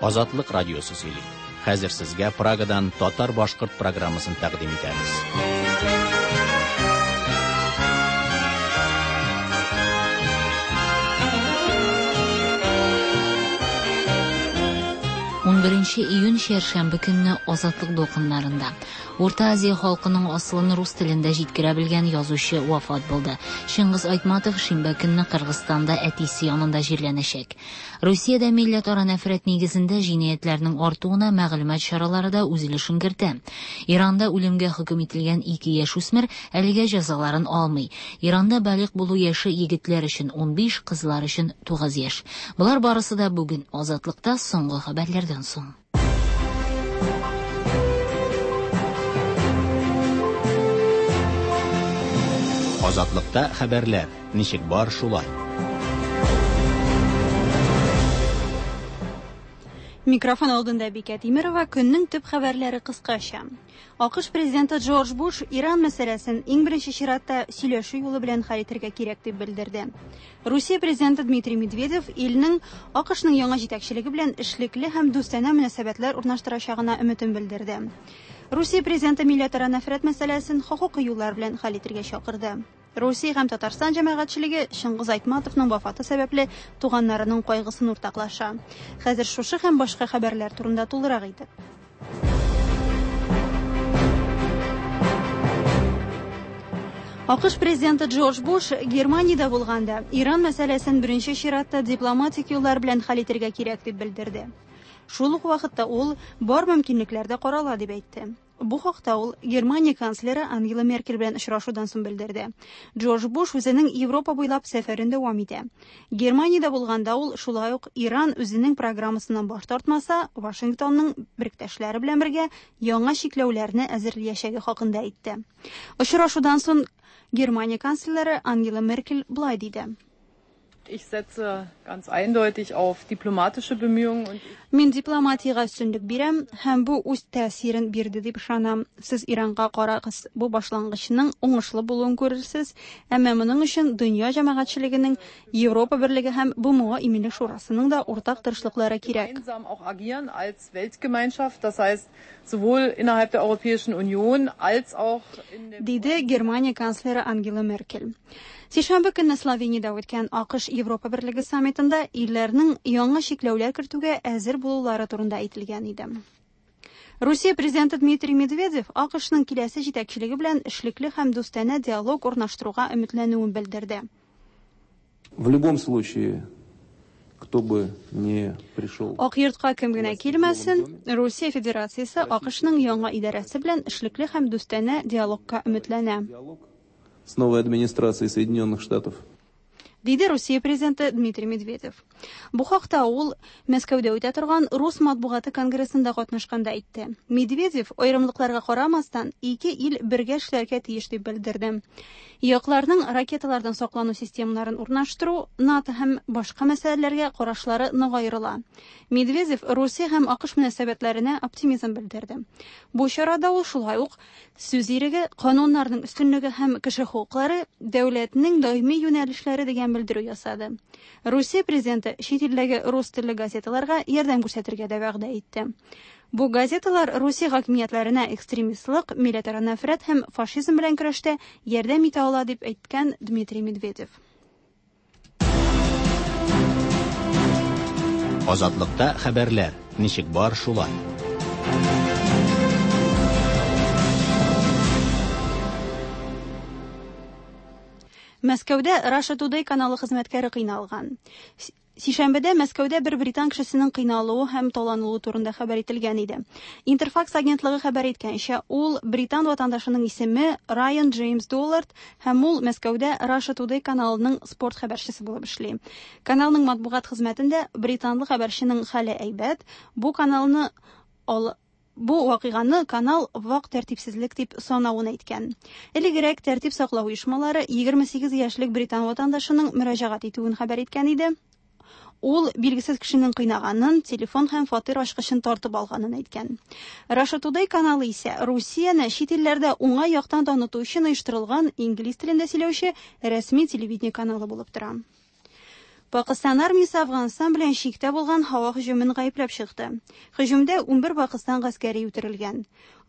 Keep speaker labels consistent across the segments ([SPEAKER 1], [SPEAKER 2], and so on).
[SPEAKER 1] Азатлык радиосы сөйли. Хәзер сезгә Прагадан татар-башкорт программасын тәкъдим итәбез.
[SPEAKER 2] Унберенче июнь чәршәмбе көнне Азатлык дулкыннарында Урта Азия халкының асылын рус телендә җиткерә белгән язучы вафат булды. Чыңгыз Айтматов шимбә көнне Кыргызстанда әтисе янында җирләнәчәк. Русиядә милләтара нәфрәт нигезендә җинаятьләрнең артуына мәгълүмат чаралары да үз өлешен кертә. Иранда үлемгә хөкем ителгән ике яшүсмер әлегә җәзаларын алмый. Иранда балигъ булу яше егетләр өчен 15, кызлар өчен 9 яшь. Болар барысы да бүген Азатлыкта соңгы хәбәрләрдән соң.
[SPEAKER 1] Азатлыкта хәбәрләр, ничек бар шулай.
[SPEAKER 3] Микрофон алдында Бикә Тимерова, көннең төп хәбәрләре кыскача. АКШ президенты Джордж Буш Иран мәсьәләсен иң беренче чиратта сөйләшү юлы белән хәл итәргә кирәк дип белдерде. Русия президенты Дмитрий Медведев илнең АКШның яңа җитәкчелеге белән эшлекле һәм дустанә мөнәсәбәтләр урнаштырачагына өметен белдерде. Русия президенты милләтара нәфрәт мәсьәләсен хокукый юллар белән хәл итәргә чакырды. Русия һәм Татарстан җәмәгатьчелеге Чыңгыз Айтматовның вафаты сәбәпле туганнарының кайгысын уртаклаша. Хәзер шушы һәм башка хәбәрләр турында тулырак итеп. АКШ президенты Джордж Буш Германиядә булганда Иран мәсьәләсен беренче чиратта дипломатик юллар белән хәл итәргә кирәк дип белдерде. Шул ук вакытта ул бар мөмкинлекләр дә карала дип әйтте. Бу хакта ул Германия канцлеры Ангела Меркель белән очрашудан соң белдерде. Джордж Буш үзенең Европа буйлап сәфәрен дәвам итә. Германиядә булганда ул шулай ук Иран үзенең программасыннан баш тартмаса, Вашингтонның беректәшләре белән бергә яңа чикләүләрне әзерлиячәге хакында әйтте. Очрашудан соң Германия канцлеры Ангела Меркель болай диде.
[SPEAKER 4] Ich setze ganz eindeutig auf diplomatische Bemühungen und
[SPEAKER 3] Мин дипломатиягә өстенлек бирәм һәм бу үз тәэсирен бирде дип ышанам. Сез Иранга карагыз, бу башлангычның уңышлы булуын күрерсез, әмма моның өчен дөнья җәмәгатьчелегенең, Европа Берлеге һәм БМО Иминлек шурасының да уртак тырышлыклары кирәк.
[SPEAKER 4] gemeinsam auch agieren als Weltgemeinschaft, das heißt sowohl innerhalb der Europäischen Union als auch in dem
[SPEAKER 3] Диде Германия канцлеры Ангела Меркель. Сишәмбе көнне Словениядә үткән АКШ-Европа Берлеге саммитында илләрнең яңа чикләүләр кертүгә әзер булулары турында әйтелгән иде. Русия президенты Дмитрий Медведев АКШның киләсе җитәкчелеге белән эшлекле һәм дустанә диалог урнаштыруга өметләнүен белдерде.
[SPEAKER 5] В любом случае, кто бы ни пришел.
[SPEAKER 3] Ак йортка кем генә килмәсен, Русия Федерациясе АКШның яңа идарәсе белән эшлекле һәм дустанә диалогка өметләнә.
[SPEAKER 5] С новой администрацией Соединенных Штатов.
[SPEAKER 3] Диде Русия президенты Дмитрий Медведев. Бу хакта ул Мәскәүдә үтә торган Рус матбугаты конгрессында катнашканда әйтте. Медведев аерымлыкларга карамастан, ике ил бергә эшләргә тиеш дип белдерде. Якларның ракеталардан саклану системаларын урнаштыру, НАТО һәм башка мәсьәләләргә карашлары нык аерыла. Медведев Русия һәм АКШ мөнәсәбәтләренә оптимизм белдерде. Бу чарада ул шулай ук сүз иреге, кануннарның өстенлеге һәм кеше хокуклары дәүләтнең даими юнәлешләре дигән белдерү ясады. Русия президенты чит илдәге рус телле газеталарга ярдәм күрсәтергә дә вәгъдә итте. Бу газеталар Русия хакимиятләренә экстремистлык, милләтара нәфрәт һәм фашизм белән көрәштә ярдәм итә ала дип әйткән Дмитрий Медведев.
[SPEAKER 1] Азатлыкта хәбәрләр, ничек бар шулай.
[SPEAKER 3] Мәскәүдә Russia Today каналы хезмәткәре кыйналган. Сишәмбедә Мәскәүдә бер британ кешесенең кыйналуы һәм таланылуы турында хәбәр ителгән иде. Интерфакс агентлыгы хәбәр иткәнчә, ул британ ватандашының исеме Райан Джеймс Доллард һәм ул Мәскәүдә Russia Today каналының спорт хәбәрчесе булып эшли. Каналның матбугат хезмәтендә британлы хәбәрченең хәле әйбәт, бу каналны ал Бу вакыйганы канал вак тәртипсезлек дип санавын әйткән. Элегрәк тәртип саклау оешмалары 28 яшьлек британ ватандашының мөрәҗәгать итүен хәбәр иткән иде. Ул билгесез кешенең кыйнаганын, телефон һәм фатир ачкычын тартып алганын әйткән. Russia Today каналы исә Русияне чит илләрдә уңай яктан таныту өчен оештырылган инглиз телендә сөйләүче рәсми телевидение каналы булып тора. Пакыстан армиясе Әфганстан белән чиктә булган һава һөҗүмен гаепләп чыкты. Һөҗүмдә 11 Пакыстан гаскәри үтерелгән.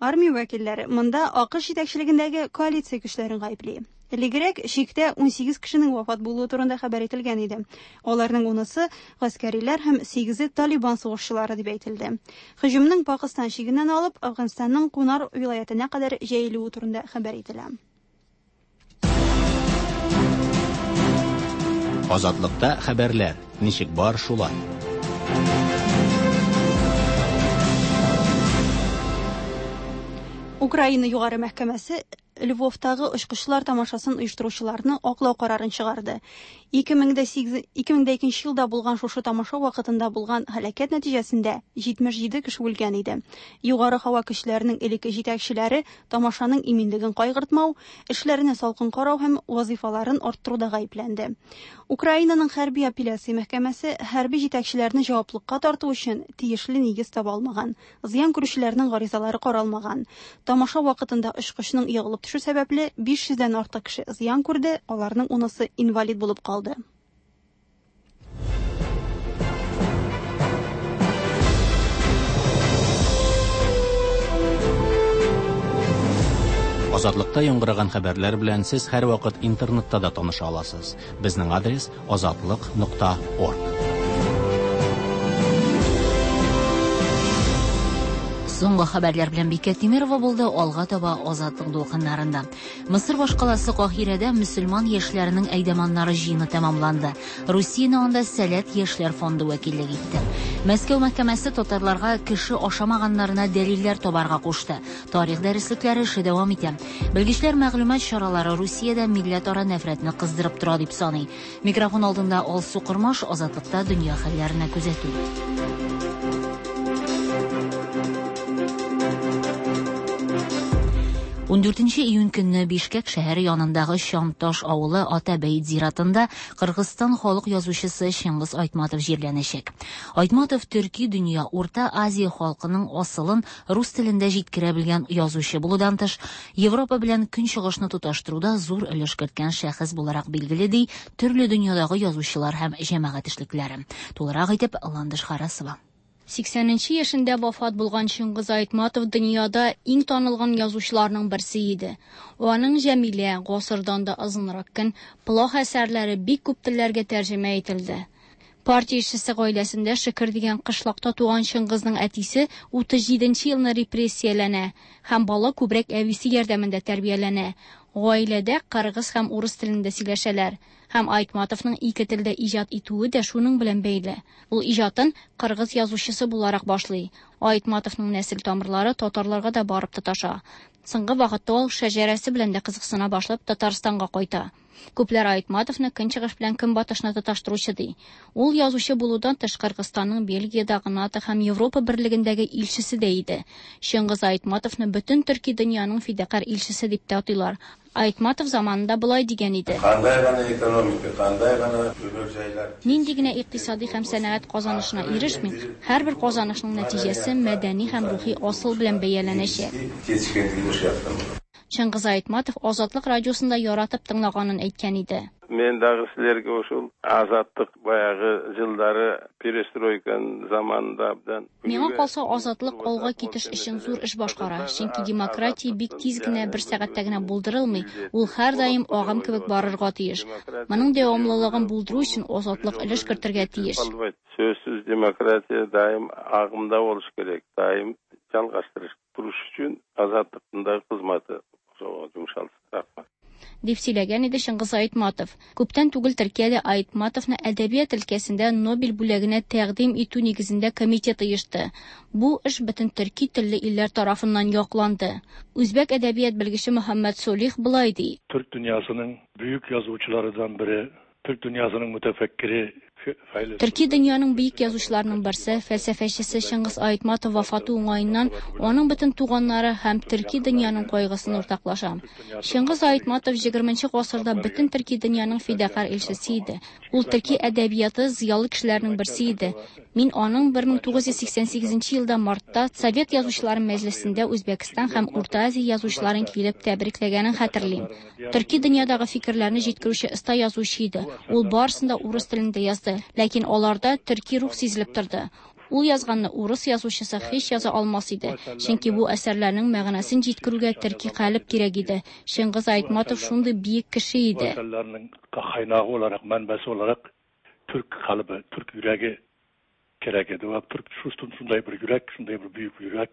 [SPEAKER 3] Армия вәкилләре монда АКШ җитәкчелегендәге коалиция көчләрен гаепли. Элегрәк чиктә 18 кешенең вафат булуы турында хәбәр ителгән иде. Аларның унысы гаскәриләр һәм сигезе Талибан сугышчылары дип әйтелде. Һөҗүмнең Пакыстан чигеннән алып Әфганстанның Кунар вилаятенә кадәр җәелүе турында хәбәр ителә.
[SPEAKER 1] Азатлыкта хәбәрләр ничек бар шулай.
[SPEAKER 3] Украина югары мәхкәмәсе Львовтагы очкычлар тамашасын оештыручыларны аклау карарын чыгарды. 2008 2002 елда булган шушы тамаша вакытында булган һәлакәт нәтиҗәсендә 77 кеше үлгән иде. Югары һава көчләренең элекке җитәкчеләре тамашаның иминлеген кайгыртмау, эшләренә салкын карау һәм вазифаларын арттыруда гаепләнде. Украинаның хәрби апелляция мәхкәмәсе хәрби җитәкчеләрне җаваплыкка тарту өчен тиешле нигез таба алмаган. Зыян күрүчеләрнең гаризалары каралмаган. Тамаша вакытында очкычның егылып төшү сәбәпле 500 дән артык кеше зыян күрде, аларның унысы инвалид булып калды.
[SPEAKER 1] Азатлыкта яңгыраган хәбәрләр белән сез һәрвакыт интернетта да таныша аласыз. Безнең адрес azatliq.org.
[SPEAKER 2] Соңгы хәбәрләр белән Бикә Тимирова булды, алга таба Азатлык дулкыннарында. Мысыр башкаласы Каһирәдә мөселман яшьләренең әйдәманнары җыены тәмамланды. Русияне анда Сәләт яшьләр фонды вәкиллек итте. Мәскәү мәхкәмәсе татарларга кеше ашамаганнарына дәлилләр табарга кушты. Тарих дәреслекләре эше дәвам итә. Белгечләр мәгълүмат чаралары Русиядә милләтара нәфрәтне кыздырып тора дип саный. Микрофон алдында Алсу Кормаш, Азатлыкта дөнья хәлләренә күзәтү. 14 июнь көнне Бишкек шәһәре янындагы Чамташ авылы Атабәйт зиратында Кыргызстан халык язучысы Чыңгыз Айтматов җирләнәчәк. Айтматов төрки дөнья, Урта Азия халкының асылын рус телендә җиткерә белгән язучы булудан тыш, Европа белән Көнчыгышны тоташтыруда зур өлеш керткән шәхес буларак билгеле, ди төрле дөньядагы язучылар һәм җәмәгать эшлеклеләре. Тулырак итеп Ландыш Харасова.
[SPEAKER 6] 80 яшендә вафат булган Чыңгыз Айтматов дөньяда иң танылган язучыларның берсе иде. Аның Җәмилә, Гасырдан да озынрак көн, Плох әсәрләре бик күп телләргә тәрҗемә ителде. Партия эшчесе гаиләсендә Шөкер дигән кышлакта туган Чыңгызның әтисе 37 елны репрессияләнә һәм бала күбрәк әбисе ярдәмендә тәрбияләнә. Гаиләдә кыргыз һәм урыс телендә сөйләшәләр. Һәм Айтматовның ике телдә иҗат итүе дә шуның белән бәйле. Ул иҗатын кыргыз язучысы буларак башлый. Айтматовның нәсел тамырлары татарларга да барып тоташа. Соңгы вакытта ул шәҗәрәсе белән дә кызыксына башлап Татарстанга кайта. Күпләр Айтматовны көнчыгыш белән көнбатышны тоташтыручы ди. Ул язучы булудан тыш Кыргызстанның Бельгиядагы НАТО һәм Европа берлегендәге илчесе дә иде. Чыңгыз Айтматовны бөтен төрки дөньяның фидакарь илчесе дип тә атыйлар. Айтматов заманында болай дигән иде.
[SPEAKER 7] Кандай гана экономика, кандай гана өмөр жайлар.
[SPEAKER 6] Нинди генә икътисади һәм сәнәгать казанышына ирешмик, һәрбер казанышның нәтиҗәсе мәдәни һәм рухи асыл белән бәяләнәчәк.
[SPEAKER 7] Жетишкендигин ушул жактан.
[SPEAKER 6] Чыңгыз Айтматов Азатлык радиосында яратып тыңлаганын әйткән иде.
[SPEAKER 7] Мен дагы силерге ушул азаттык баягы жылдары перестройканын заманында абдан.
[SPEAKER 6] Миңа калса, азатлык алга китеш өчен зур эш башкара, чөнки демократия бик тиз генә бер сәгатьтә генә булдырылмый, ул һәрдаим агым кебек барырга тиеш. Моның дәвамлылыгын булдыру өчен азатлык өлеш кертергә тиеш.
[SPEAKER 7] Сөзсүз демократия дайым агымда болуш керек, дайым жалгаштырыш туруш үчүн азаттыктын дагы кызматы ошого жумшалсын. Рахмат.
[SPEAKER 6] Дип сөйләгән иде Чыңгыз Айтматов. Күптән түгел Төркиядә Айтматовны әдәбият өлкәсендә Нобель бүләгенә тәкъдим итү нигезендә комитет оешты. Бу эш бөтен төрки телле илләр тарафыннан якланды. Үзбәк әдәбият белгече Мөхәммәд Солих болай ди.
[SPEAKER 8] Türk dünyasının büyük yazıcılarından biri, Türk dünyasının mütefekkiri,
[SPEAKER 6] Төрки дөньяның бөек язучыларының берсе, фәлсәфәчесе Чыңгыз Айтматов вафаты уңаеннан аның бөтен туганнары һәм төрки дөньяның кайгысын уртаклаша. Чыңгыз Айтматов 20 гасырда бөтен төрки дөньяның фидакарь илчесе иде. Ул төрки әдәбияты зыялы кешеләрнең берсе иде. Мин аның 1988 елда мартта Совет язучылары мәҗлесендә Үзбәкстан һәм Урта Азия язучыларын килеп тәбрикләгәнен хәтерлим. Төрки дөньядагы фикерләрне җиткерүче оста язучы иде. Ул барысын да урыс телендә яздыра. язды, ләкин аларда төрки рух сизелеп торды. Ул язганны урыс язучысы һич яза алмас иде, чөнки бу әсәрләрнең мәгънәсен җиткерүгә төрки калеб кирәк иде. Чыңгыз Айтматов шундый биек кеше
[SPEAKER 8] иде. Bu eserlerinin kaynağı olarak, menbesi olarak Türk kalıbı, Türk yüreği gerek edi. Ve Türk şunday bir yürek, şunday bir büyük yürek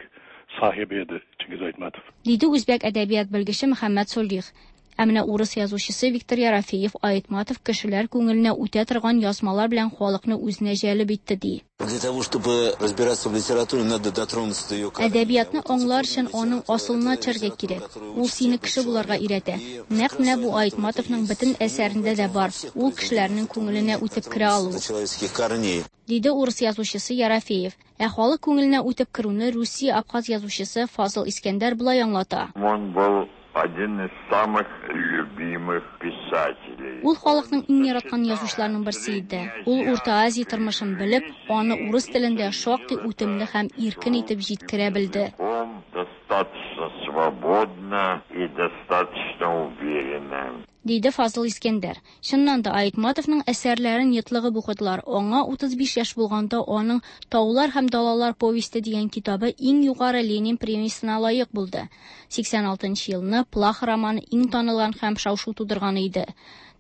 [SPEAKER 8] sahibi edi Çingiz Aytmatov.
[SPEAKER 6] Диде үзбәк әдәбият белгече Мөхәммәд Солих. Ә менә урыс язучысы Виктор Ерофеев Айтматов кешеләр күңеленә үтә торган язмалар белән халыкны үзенә җәлеп итте ди.
[SPEAKER 9] Для того, чтобы разбираться в литературе, надо дотронуться до ее корней.
[SPEAKER 6] Әдәбиятны аңлар өчен аның асылына төшәргә кирәк. Ул сине кеше булырга өйрәтә. Нәкъ менә бу Айтматовның бөтен әсәрендә дә бар. Ул кешеләрнең күңеленә үтеп керә алу.
[SPEAKER 9] Человеческих корней.
[SPEAKER 6] Диде урыс язучысы Ерофеев. Ә халык күңеленә үтеп керүне Русия абхаз язучысы Фазыл Искәндәр болай аңлата.
[SPEAKER 10] Он был один из самых любимых писателей.
[SPEAKER 6] Ул халыкның иң яраткан язучыларының берсе иде. Ул Урта Азия тормышын белеп, аны урыс телендә шактый үтемле һәм иркен итеп җиткерә белде.
[SPEAKER 10] Он достаточно свободно и достаточно уверенно.
[SPEAKER 6] Диде Фазыл Искәндәр. Чыннан да Айтматовның әсәрләрен йотлыгып укыдылар. Аңа 35 яшь булганда аның Таулар һәм далалар повесте дигән китабы иң югары Ленин премиясенә лаек булды. 86 елны Плах романы иң танылган һәм шау-шу тудырган иде.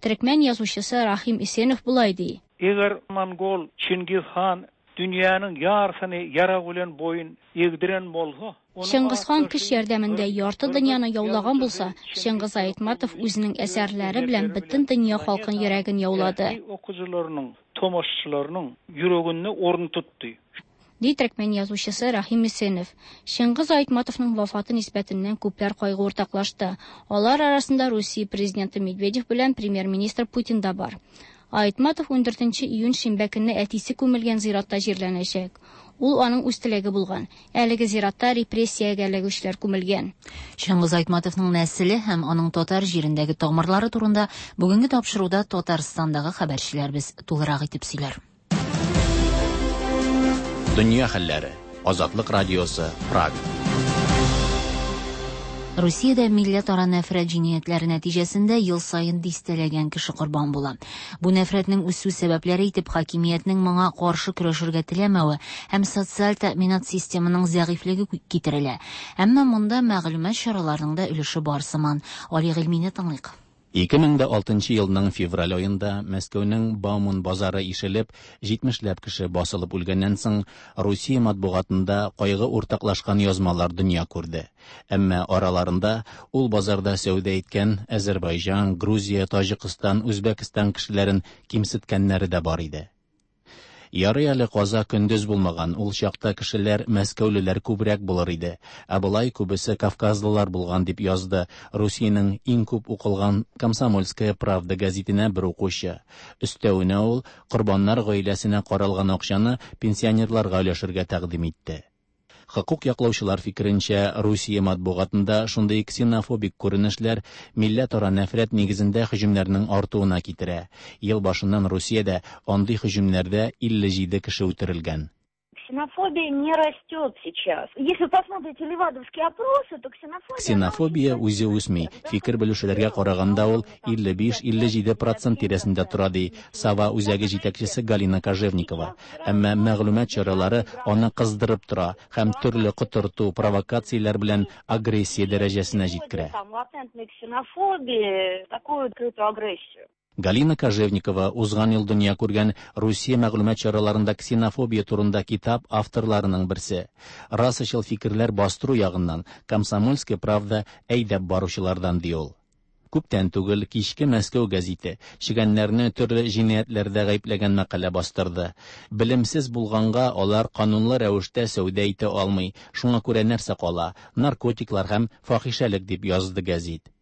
[SPEAKER 6] Төрекмән язучысы Рахим Исенов болай ди.
[SPEAKER 11] Eger Mongol Çingiz han dünýäniň ýarysyny ýarag bilen boýun egdiren bolsa,
[SPEAKER 6] Чыңгыз хан көч ярдәмендә ярты дөньяны яулаган булса, Чыңгыз Айтматов үзенең әсәрләре белән бөтен дөнья халкын йөрәген яулады.
[SPEAKER 11] Okyjylarynyň, tomaşaçylarynyň ýüreginde orun tutdy.
[SPEAKER 6] Ди төрекмән язучысы Рахим Исенов. Чыңгыз Айтматовның вафаты нисбәтеннән күпләр кайгы уртаклашты. Алар арасында Русия президенты Медведев белән премьер-министр Путин да бар. Айтматов 14 июнь шимбә көнне әтисе күмелгән зиратта җирләнәчәк. Ул аның үз теләге булган. Әлеге зиратта репрессиягә эләгүчеләр күмелгән.
[SPEAKER 2] Чыңгыз Айтматовның нәселе һәм аның татар җирендәге тамырлары турында бүгенге тапшыруда Татарстандагы хәбәрчеләребез тулырак итеп сөйләр.
[SPEAKER 1] Дөнья хәлләре. Азатлык радиосы, Прага.
[SPEAKER 2] Русиядә милләтара нәфрәт җинаятьләре нәтиҗәсендә ел саен дистәләгән кеше корбан була. Бу нәфрәтнең үсү сәбәпләре итеп хакимиятнең моңа каршы көрәшергә теләмәве һәм социаль тәэминат системының зәгыйфьлеге китерелә. Әмма монда мәгълүмат чараларының да өлеше бар сыман. Али Гыйльмине тыңлыйк.
[SPEAKER 1] 2006 елның февраль аенда Мәскәүнең Бауман базары ишелеп, 70ләп кеше басылып үлгәннән соң, Русия матбугатында кайгы уртаклашкан язмалар дөнья күрде. Әмма араларында ул базарда сәүдә иткән Азербайҗан, Грузия, Таҗикстан, Үзбәкстан кешеләрен кимсеткәннәре дә бар иде. Ярый әле каза көндез булмаган, ул чакта кешеләр мәскәүлеләр күбрәк булыр иде. Ә болай күбесе кавказлылар булган дип язды Русиянең иң күп укылган Комсомольская правда гәзитенә бер укучы. Өстәвенә ул корбаннар гаиләсенә каралган акчаны пенсионерларга өләшергә тәкъдим итте. Хокук яклаучылар фикеренчә, Русия матбугатында шундый ксенофобик күренешләр милләтара нәфрәт нигезендә һөҗүмнәрнең артуына китерә. Ел башыннан Русиядә андый һөҗүмнәрдә 57 кеше үтерелгән.
[SPEAKER 12] Ксенофобия не растет сейчас. Если вы посмотрите левадовские опросы, то ксенофобия...
[SPEAKER 1] Ксенофобия үзе үсми. Фикер белешүләргә караганда ул 55-57% тирәсендә тора, ди Сава үзәге җитәкчесе Галина Кожевникова. Әмма мәгълүмат чаралары аны кыздырып тора һәм төрле котырту, провокацияләр белән агрессия дәрәҗәсенә җиткерә.
[SPEAKER 12] Там латентной ксенофобии, такую открытую агрессию.
[SPEAKER 1] Галина Кожевникова узган ел дөнья күргән Русия мәгълүмат чараларында ксенофобия турында китап авторларының берсе. Расачыл фикерләр бастыру ягыннан Комсомольская правда әйдәп баручылардан ди ул. Күптән түгел кичке Мәскәү гәзите чегәннәрне төрле җинаятьләрдә гаепләгән мәкалә бастырды. Белемсез булганга алар канунлы рәвештә сәүдә итә алмый. Шуңа күрә нәрсә кала? Наркотиклар һәм фахишәлек дип язды гәзит.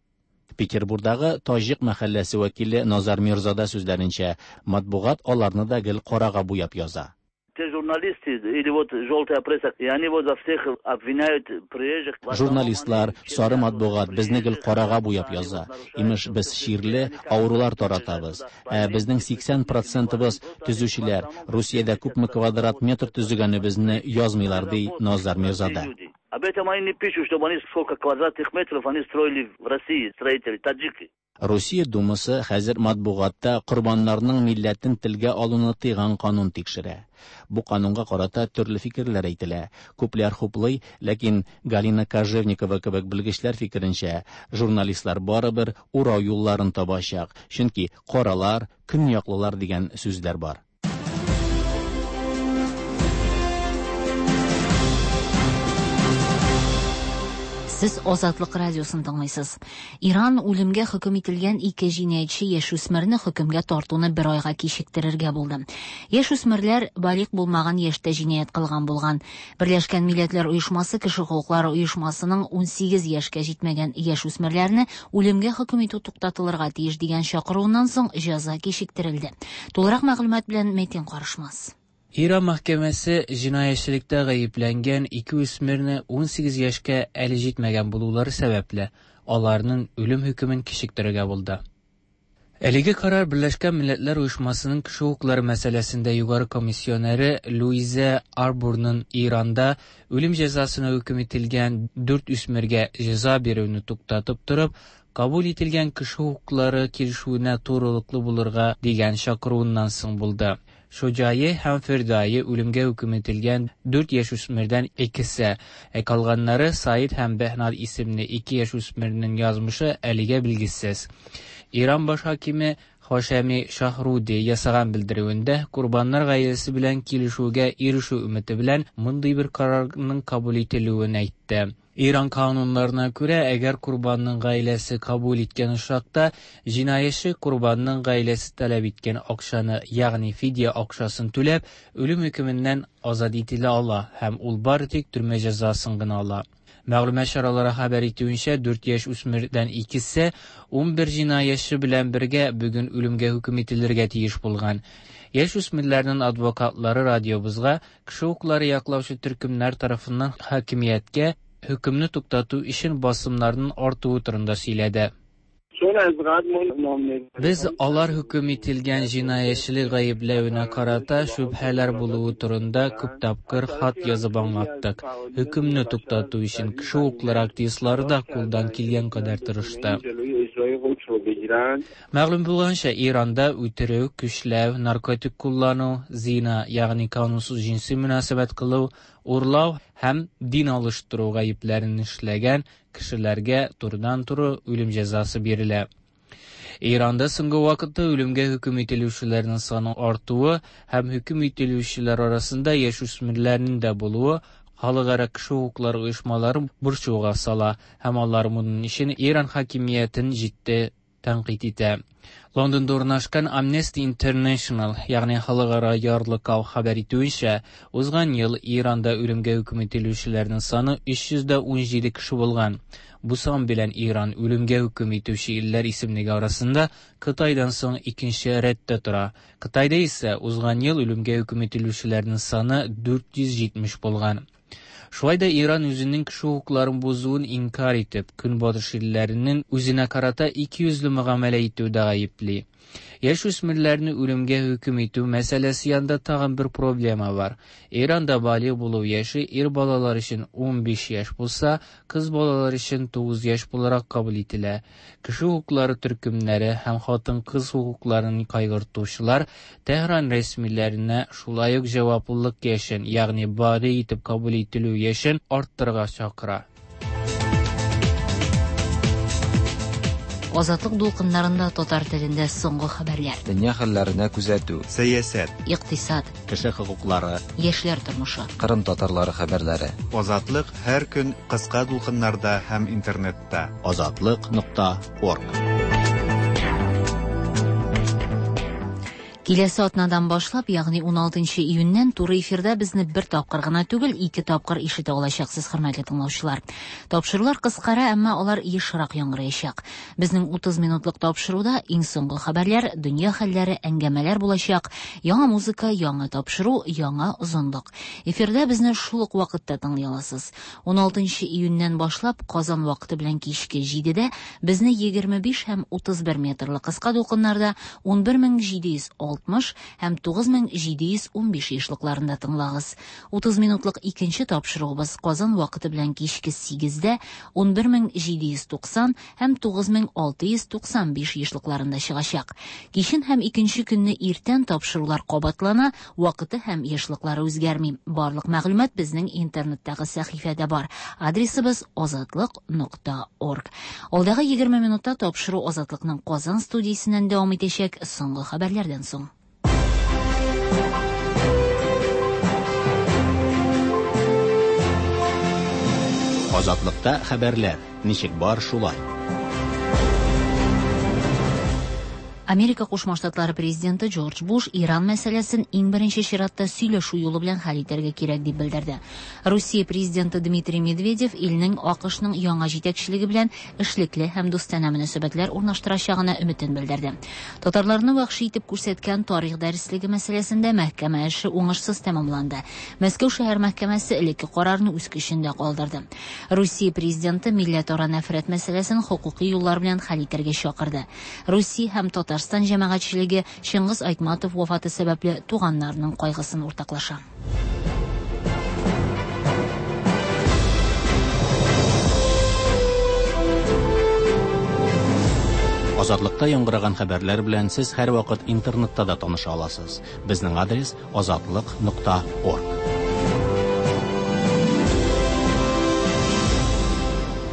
[SPEAKER 1] Петербургдагы Таҗик мәхәлләсе вәкиле Назар Мирзада сүзләренчә, матбугат аларны да гел карага буяп яза.
[SPEAKER 13] Те журналисты или вот желтая пресса, и они вот за всех обвиняют приезжих.
[SPEAKER 1] Журналистлар, сары матбугат безне гел карага буяп яза. Имеш, без чирле, авырулар таратабыз. Ә безнең 80%ыбыз төзүчеләр. Русиядә күпме квадрат метр төзегәнебезне язмыйлар, ди Назар Мирзада.
[SPEAKER 13] Об этом они не пишут, чтобы они сколько квадратных метров они строили в России, строители, таджики.
[SPEAKER 1] Русия Думасы хәзер матбугатта корбаннарның милләтен телгә алуны тыйган канун тикшерә. Бу канунга карата төрле фикерләр әйтелә. Күпләр хуплый, ләкин Галина Кожевникова кебек белгечләр фикеренчә, журналистлар барыбер урау юлларын табачак, чөнки каралар, көньяклылар дигән сүзләр бар.
[SPEAKER 2] Сез Азатлык радиосын тыңлыйсыз. Иран үлемгә хөкем ителгән ике җинаятьче яшүсмерне хөкемгә тартуны бер айга кичектерергә булды. Яшүсмерләр балигъ булмаган яшьтә җинаять кылган булган. Берләшкән Милләтләр Оешмасы кеше хокуклары оешмасының 18 яшькә җитмәгән яшүсмерләрне үлемгә хөкем итү туктатылырга тиеш дигән чакыруыннан соң җәза кичектерелде. Тулырак мәгълүмат белән Мәтин Карышмас.
[SPEAKER 14] Иран мәхкәмәсе җинаятьчелектә гаепләнгән ике үсмерне 18 яшькә әле җитмәгән булулары сәбәпле, аларның үлем хөкемен кичектерергә булды. Әлеге карар Берләшкән Милләтләр Оешмасының кеше хокуклары мәсьәләсендә югары комиссионеры Луиза Арбурның Иранда үлем җәзасына хөкем ителгән дүрт үсмергә җәза бирүне туктатып торып, кабул ителгән кеше хокуклары килешүенә турылыклы булырга дигән чакыруыннан соң булды. Шоҗае һәм Фирдае үлемгә хөкем ителгән дүрт яшүсмердән икесе, ә калганнары Саид һәм Бәһнад исемле ике яшүсмернең язмышы әлегә билгесез. Иран баш хакиме Хашеми Шаһруди ясаган белдерүендә корбаннар гаиләсе белән килешүгә ирешү өмете белән мондый бер карарның кабул ителүен әйтте. Иран кануннарына күрә, әгәр корбанның гаиләсе кабул иткән очракта, җинаятьче корбанның гаиләсе таләп иткән акчаны, ягъни фидия акчасын түләп, үлем хөкеменнән азат ителә ала һәм ул бары тик төрмә җәзасын гына ала. Мәгълүмат чаралары хәбәр итүенчә, дүрт яшь үсмердән икесе 11 җинаятьче белән бергә бүген үлемгә хөкем ителергә тиеш булган. Яшь үсмерләрнең адвокатлары радиобызга кеше хокуклары яклаучы төркемнәр тарафыннан хакимияткә хөкемне туктату өчен басымнарның артуы турында сөйләде. Без алар хөкем ителгән җинаятьчелек гаепләвенә карата шөбһәләр булуы турында күп тапкыр хат язып аңлаттык. Хөкемне туктату өчен кеше хокуклары активистлары да кулдан килгән кадәр тырышты. Мәгълүм булганча, Иранда үтерү, көчләү, наркотик куллану, зина, ягъни канунсыз җенси мөнәсәбәт кылу, урлау һәм дин алыштыру гаепләрен эшләгән кешеләргә турыдан-туры үлем җәзасы бирелә. Иранда соңгы вакытта үлемгә хөкем ителүчеләрнең саны артуы һәм хөкем ителүчеләр арасында яшүсмерләрнең дә булуы халыкара кеше хокуклары оешмаларын борчуга сала һәм алар моның өчен Иран хакимиятен җитди тәнкыйть итә. Лондонда урнашкан Amnesty International, ягъни халыкара ярлыкау хәбәр итүенчә, узган ел Иранда үлемгә хөкем ителүчеләрнең саны 317 кеше булган. Бу сан белән Иран үлемгә хөкем итүче илләр исемлеге арасында Кытайдан соң икенче рәттә тора. Кытайда исә узган ел үлемгә хөкем ителүчеләрнең саны 470 булган. Шулай да Иран үзенең кеше хокукларын бозуын инкарь итеп, Көнбатыш илләренең үзенә карата икейөзле мөгамәлә итүдә гаепли. Яшүсмерләрне үлемгә хөкем итү мәсьәләсе янында тагын бер проблема бар. Иранда балигъ булу яше ир балалар өчен 15 яшь булса, кыз балалар өчен 9 яшь буларак кабул ителә. Кеше хокуклары төркемнәре һәм хатын-кыз хокукларын кайгыртучылар Тәһран рәсмиләренә шулай ук җаваплылык яшен, ягъни балигъ итеп кабул ителү яшен арттырырга чакыра.
[SPEAKER 2] Азатлык дулкыннарында татар телендә соңгы хәбәрләр.
[SPEAKER 15] Дөнья хәлләренә күзәтү.
[SPEAKER 16] Сәясәт.
[SPEAKER 2] Икътисад.
[SPEAKER 1] Кеше хокуклары.
[SPEAKER 2] Яшьләр тормышы.
[SPEAKER 15] Кырым татарлары хәбәрләре.
[SPEAKER 16] Азатлык һәр көн кыска дулкыннарда һәм интернетта.
[SPEAKER 1] Азатлык.орг.
[SPEAKER 2] Киләсе атнадан башлап, ягъни 16 июньнән туры эфирда безне бер тапкыр гына түгел, ике тапкыр ишетә алачаксыз, хөрмәтле тыңлаучылар. Тапшырулар кыскара, әмма алар ешрак яңгыраячак. Безнең 30 минутлык тапшыруда иң соңгы хәбәрләр, дөнья хәлләре, әңгәмәләр булачак, яңа музыка, яңа тапшыру, яңа озынлык. Эфирда безне шул ук вакытта тыңлый аласыз. 16 июньнән башлап Казан вакыты белән кичке 7-дә безне 25 һәм 31 метрлы кыска дулкыннарда 11706 9660 һәм 9715 ешлыкларында тыңлагыз. 30 минутлык икенче тапшыруыбыз Казан вакыты белән кичке 8-дә 11790 һәм 9695 ешлыкларында чыгачак. Кичен һәм икенче көнне иртән тапшырулар кабатлана, вакыты һәм ешлыклары үзгәрми. Барлык мәгълүмат безнең интернеттагы сәхифәдә бар. Адресыбыз azatliq.org. Алдагы 20 минутта тапшыру Азатлыкның Казан студиясеннән дәвам итәчәк соңгы хәбәрләрдән соң.
[SPEAKER 1] Азатлыкта хәбәрләр ничек бар шулай.
[SPEAKER 2] Америка Кушма Штатлары президенты Джордж Буш Иран мәсьәләсен иң беренче чиратта сөйләшү юлы белән хәл итәргә кирәк дип белдерде. Русия президенты Дмитрий Медведев илнең АКШның яңа җитәкчелеге белән эшлекле һәм дустанә мөнәсәбәтләр урнаштырачагына өметен белдерде. Татарларны вәхши итеп күрсәткән тарих дәреслеге мәсьәләсендә мәхкәмә эше уңышсыз тәмамланды. Мәскәү шәһәр мәхкәмәсе элекке карарны үз көчендә калдырды. Русия президенты милләтара нәфрәт мәсьәләсен хокукый юллар белән хәл итәргә чакырды. Русия һәм Татарстан җәмәгатьчелеге Чыңгыз Айтматов вафаты сәбәпле туганнарының кайгысын уртаклаша.
[SPEAKER 1] Азатлыкта яңгыраган хәбәрләр белән сез һәрвакыт интернетта да таныша аласыз. Безнең адрес azatliq.org.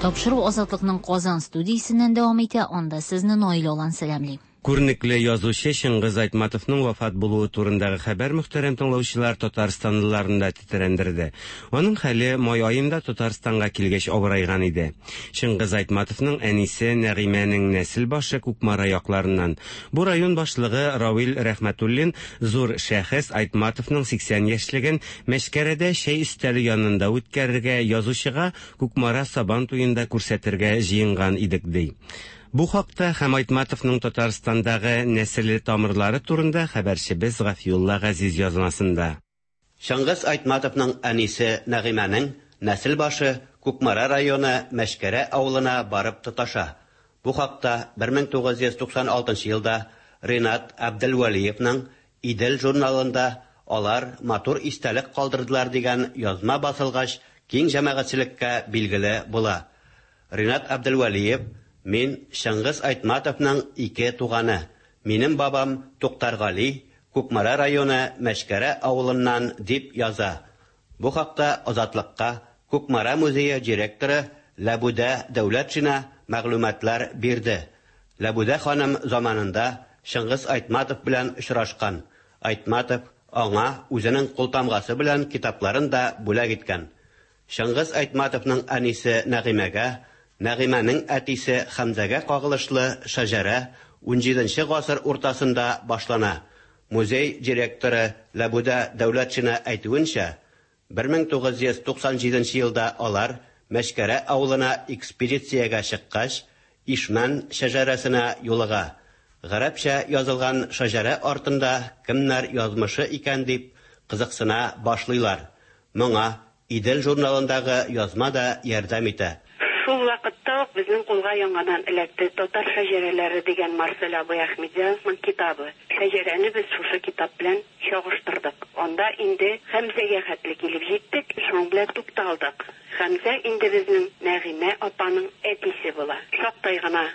[SPEAKER 2] Тапшыру Азатлыкның Казан студиясеннән дәвам итә. Анда сезне Наил Алан сәламли.
[SPEAKER 17] Күренекле язучы Чыңгыз Айтматовның вафат булуы турындагы хәбәр мөхтәрәм тыңлаучылар татарстанлыларны да тетрәндерде. Аның хәле май аенда Татарстанга килгәч авырайган иде. Чыңгыз Айтматовның әнисе Нәгыймәнең нәсел башы Кукмара якларыннан. Бу район башлыгы Равил Рәхмәтуллин зур шәхес Айтматовның 80 яшьлеген Мәчкәрәдә чәй өстәле янында үткәрергә, язучыга Кукмара Сабан туенда күрсәтергә җыенган идек, ди. Бу хакта һәм Айтматовның Татарстандагы нәселе тамырлары турында хәбәрчебез Гафиулла Газиз язмасында.
[SPEAKER 18] Чыңгыз Айтматовның әнисе Нәгыймәнең нәсел башы Кукмара районы Мәчкәрә авылына барып тоташа. Бу хакта 1996 елда Ринат Әбделвәлиевның Идел журналында алар матур истәлек калдырдылар дигән язма басылгач, киң җәмәгатьчелеккә билгеле була. Ринат Әбделвәлиев: Мин Чыңгыз Айтматовның ике туганы. Минем бабам Туктаргали Кукмара районы Мәчкәрә авылыннан, дип яза. Бу хакта Азатлыкка Кукмара музее директоры Ләбүдә Дәүләтшина мәгълүматлар бирде. Ләбүдә ханым заманында Чыңгыз Айтматов белән очрашкан. Айтматов аңа үзенең култамгасы белән китапларын да бүләк иткән. Чыңгыз Айтматовның әнисе Нәгыймәгә, Нәгыймәнең әтисе Хәмзәгә кагылышлы шәҗәрә 17 гасыр уртасында башлана. Музей директоры Ләбүдә Дәүләтшина әйтүенчә, 1997 елда алар Мәчкәрә авылына экспедициягә чыккач, Ишмән шәҗәрәсенә юлыга. Гарәпчә язылган шәҗәрә артында кемнәр язмышы икән дип кызыксына башлыйлар. Моңа Идел журналындагы язма да ярдәм итә.
[SPEAKER 19] Шул вакытта ук безнең кулга яңадан эләкте Татар шәҗәрәләре дигән Марсель абый Әхмәтҗановның китабы. Шәҗәрәне без шушы китап белән чагыштырдык. Анда инде Хәмзәгә хәтле килеп җиттек, шуның белән тукталдык. Хәмзә инде безнең Нәгыймә апаның әтисе була. Шактай гына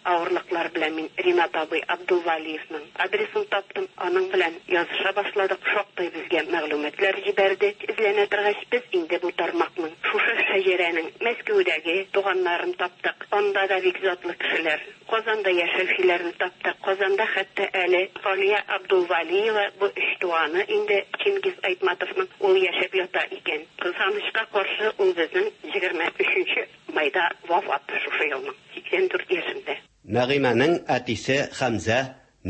[SPEAKER 19] авырлыклар белән мин Ринат абый Абдулвалиевның адресын таптым. Аның белән языша башладык. Шактай безгә мәгълүматлар җибәрде. Эзләнә торгач, без инде бу тармакның, шушы шәҗәрәнең Мәскәүдәге туганнарын таптык. Анда да бик затлы кешеләр. Казанда яшәүчеләрне таптык. Казанда хәтта әле Галия Абдулвалиева, бу өч туганы инде Чингиз Айтматовның, ул яшәп ята икән. Кызганычка каршы, ул безнең 23 майда вафат шушы елның, 84 яшендә.
[SPEAKER 18] Нәгыймәнең әтисе Хәмзә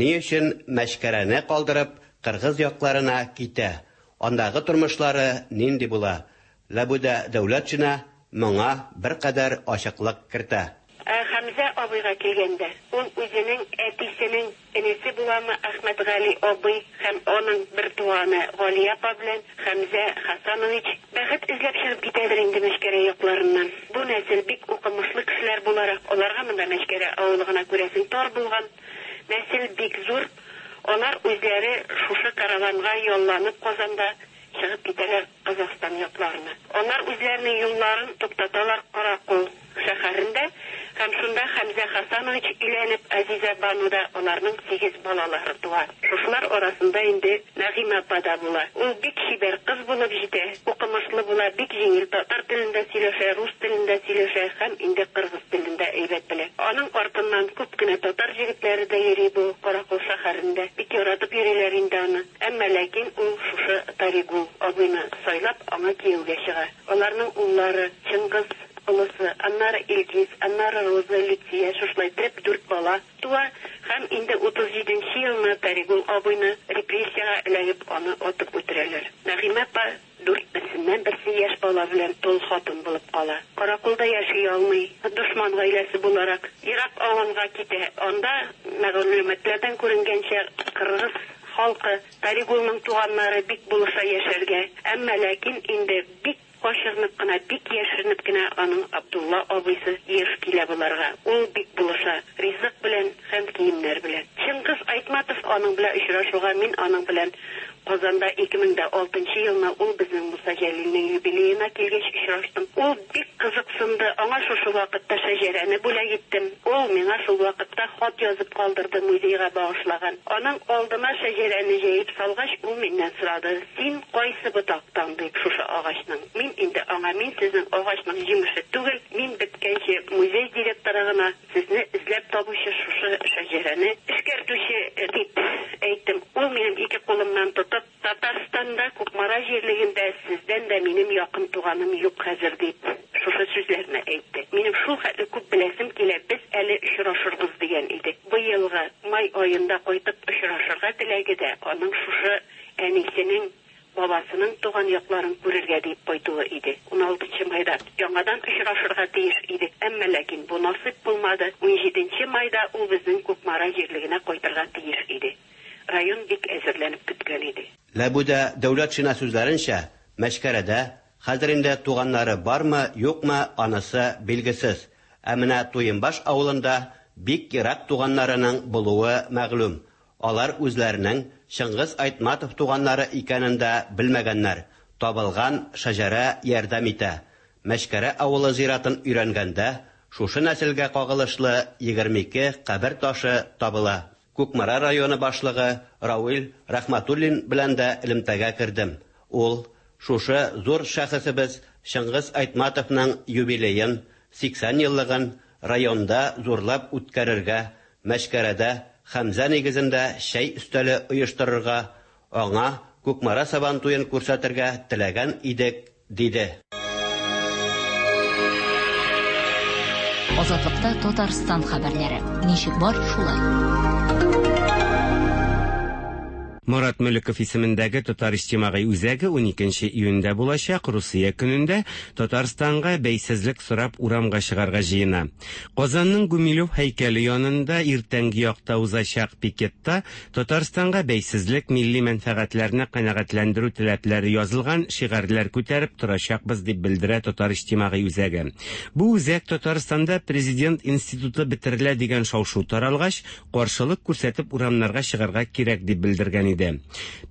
[SPEAKER 18] ни өчен Мәчкәрәне калдырып кыргыз якларына китә? Андагы тормышлары нинди була? Ләбүдә Дәүләтшина моңа беркадәр ачыклык кертә.
[SPEAKER 19] Ә Хәмзә абыйга килгәндә, ул үзенең әтисенең энесе буламы Әхмәтгали абый һәм аның бер туганы Галия апа белән Хәмзә Хасанович бәхет эзләп чыгып китәдер инде Мәчкәрә якларыннан. Бу нәсел бик укымышлы кешеләр буларак, аларга монда Мәчкәрә авылы гына күрәсең тар булган. Нәсел бик зур. Алар үзләре шушы караванга ялланып Казанда чыгып китәләр Казахстан якларына. Алар үзләренең юлларын туктаталар Каракол шәһәрендә һәм шунда Хәмзә Хасанович өйләнеп, Азизә Бануда аларның сигез балалары туа. Шушылар арасында инде Нәгыймә апа да була. Ул бик чибәр кыз булып җитә, укымышлы була, бик җиңел татар телендә сөйләшә, рус телендә сөйләшә һәм инде кыргыз телен дә әйбәт белә. Аның артыннан күп кенә татар җегетләре дә йөри бу Каракол шәһәрендә. Бик яратып йөриләр инде аны. Әмма ләкин ул шушы Таригул абыйны сайлап, аңа кияүгә чыга. Аларның уллары, Чыңгыз, олысы, аннары Илгиз, аннары Роза, Люция, шушылай иттереп дүрт бала туа һәм инде 37 нче елны Таригул абыйны репрессиягә эләгеп, аны атып үтерәләр. Нәгыймә апа дүрт берсеннән берсе яшь бала белән тол хатын булып кала. Караколда яши алмый, дошман гаиләсе буларак, ерак авылга китә. Анда, мәгълүматлардан күренгәнчә, кыргыз халкы, Таригулның туганнары бик булыша яшәргә. Әмма ләкин инде бик качырынып кына, бик яшеренеп кенә аның Абдулла абыйсы еш килә боларга. Ул бик булыша, ризык белән һәм киемнәр белән. Чыңгыз Айтматов аның белән очрашуга мин аның белән Казанда 2006 нчы елны ул безнең Муса Җәлилнең юбилеена килгәч очраштым. Ул бик кызыксынды, аңа шушы вакытта шәҗәрәне бүләк иттем. Ул миңа шул вакытта хат язып калдырды, музейга багышлаган. Аның алдына шәҗәрәне җәеп салгач, ул миннән сорады, Син кайсы ботактан, дип, шушы агачның? Мин инде аңа, Мин сезнең агачның җимеше түгел, мин беткәнче музей директоры гына, сезне эзләп табучы, шушы шәҗәрәне эшкәртүче, дип әйттем. Ул минем ике кулымнан тотып, Татарстанда, Кукмара җирлегендә сездән дә минем якын туганым юк хәзер, дип, шушы сүзләрне әйтте. Минем шул хәтле күп беләсем килә, без әле очрашырбыз, дигән иде. Быелгы май аенда кайтып очрашырга теләге дә аның шушы әнисенең, бабасының туган якларын күрергә диеп кайтуы иде. Уналтынчы майда яңадан очрашырга тиеш идек, әмма ләкин бу насыйп булмады. Унҗиденче майда ул безнең Кукмара җирлегенә кайтырга тиеш иде. Район бик әзерләнеп көткән иде.
[SPEAKER 18] Ләбүдә Дәүләтшина сүзләренчә, Мәчкәрәдә хәзер инде туганнары бармы, юкмы, анысы билгесез. Ә менә Туембаш авылында бик ерак туганнарының булуы мәгълүм. Алар үзләренең Чыңгыз Айтматов туганнары икәнен дә белмәгәннәр. Табылган шәҗәрә ярдәм итә. Мәчкәрә авылы зиратын өйрәнгәндә, шушы нәселгә кагылышлы 22 кабер ташы табыла. Кукмара районы башлыгы Рауил Рәхмәтуллин белән дә элемтәгә кердем. Ул, Шушы зур шәхесебез Чыңгыз Айтматовның юбилеен, 80 еллыгын районда зурлап үткәрергә, Мәчкәрәдә Хәмзә нигезендә чәй өстәле оештырырга, аңа Кукмара Сабантуен күрсәтергә теләгән идек, диде.
[SPEAKER 2] Азатлыкта Татарстан хәбәрләре. Ничек бар, шулай.
[SPEAKER 17] Морат Мөлеков исемендәге Татар иҗтимагый үзәге 12 июньдә булачак Русия көнендә Татарстанга бәйсезлек сорап урамга чыгарга җыена. Казанның Гумилев һәйкәле янында иртәнге якта узачак пикетта Татарстанга бәйсезлек, милли мәнфәгатьләрне канәгатьләндерү теләпләре язылган шигарьләр күтәреп торачакбыз, дип белдерә Татар иҗтимагый үзәге. Бу үзәк Татарстанда президент институты бетерелә дигән шау-шу таралгач, каршылык күрсәтеп урамнарга чыгарга кирәк дип белдергән иде.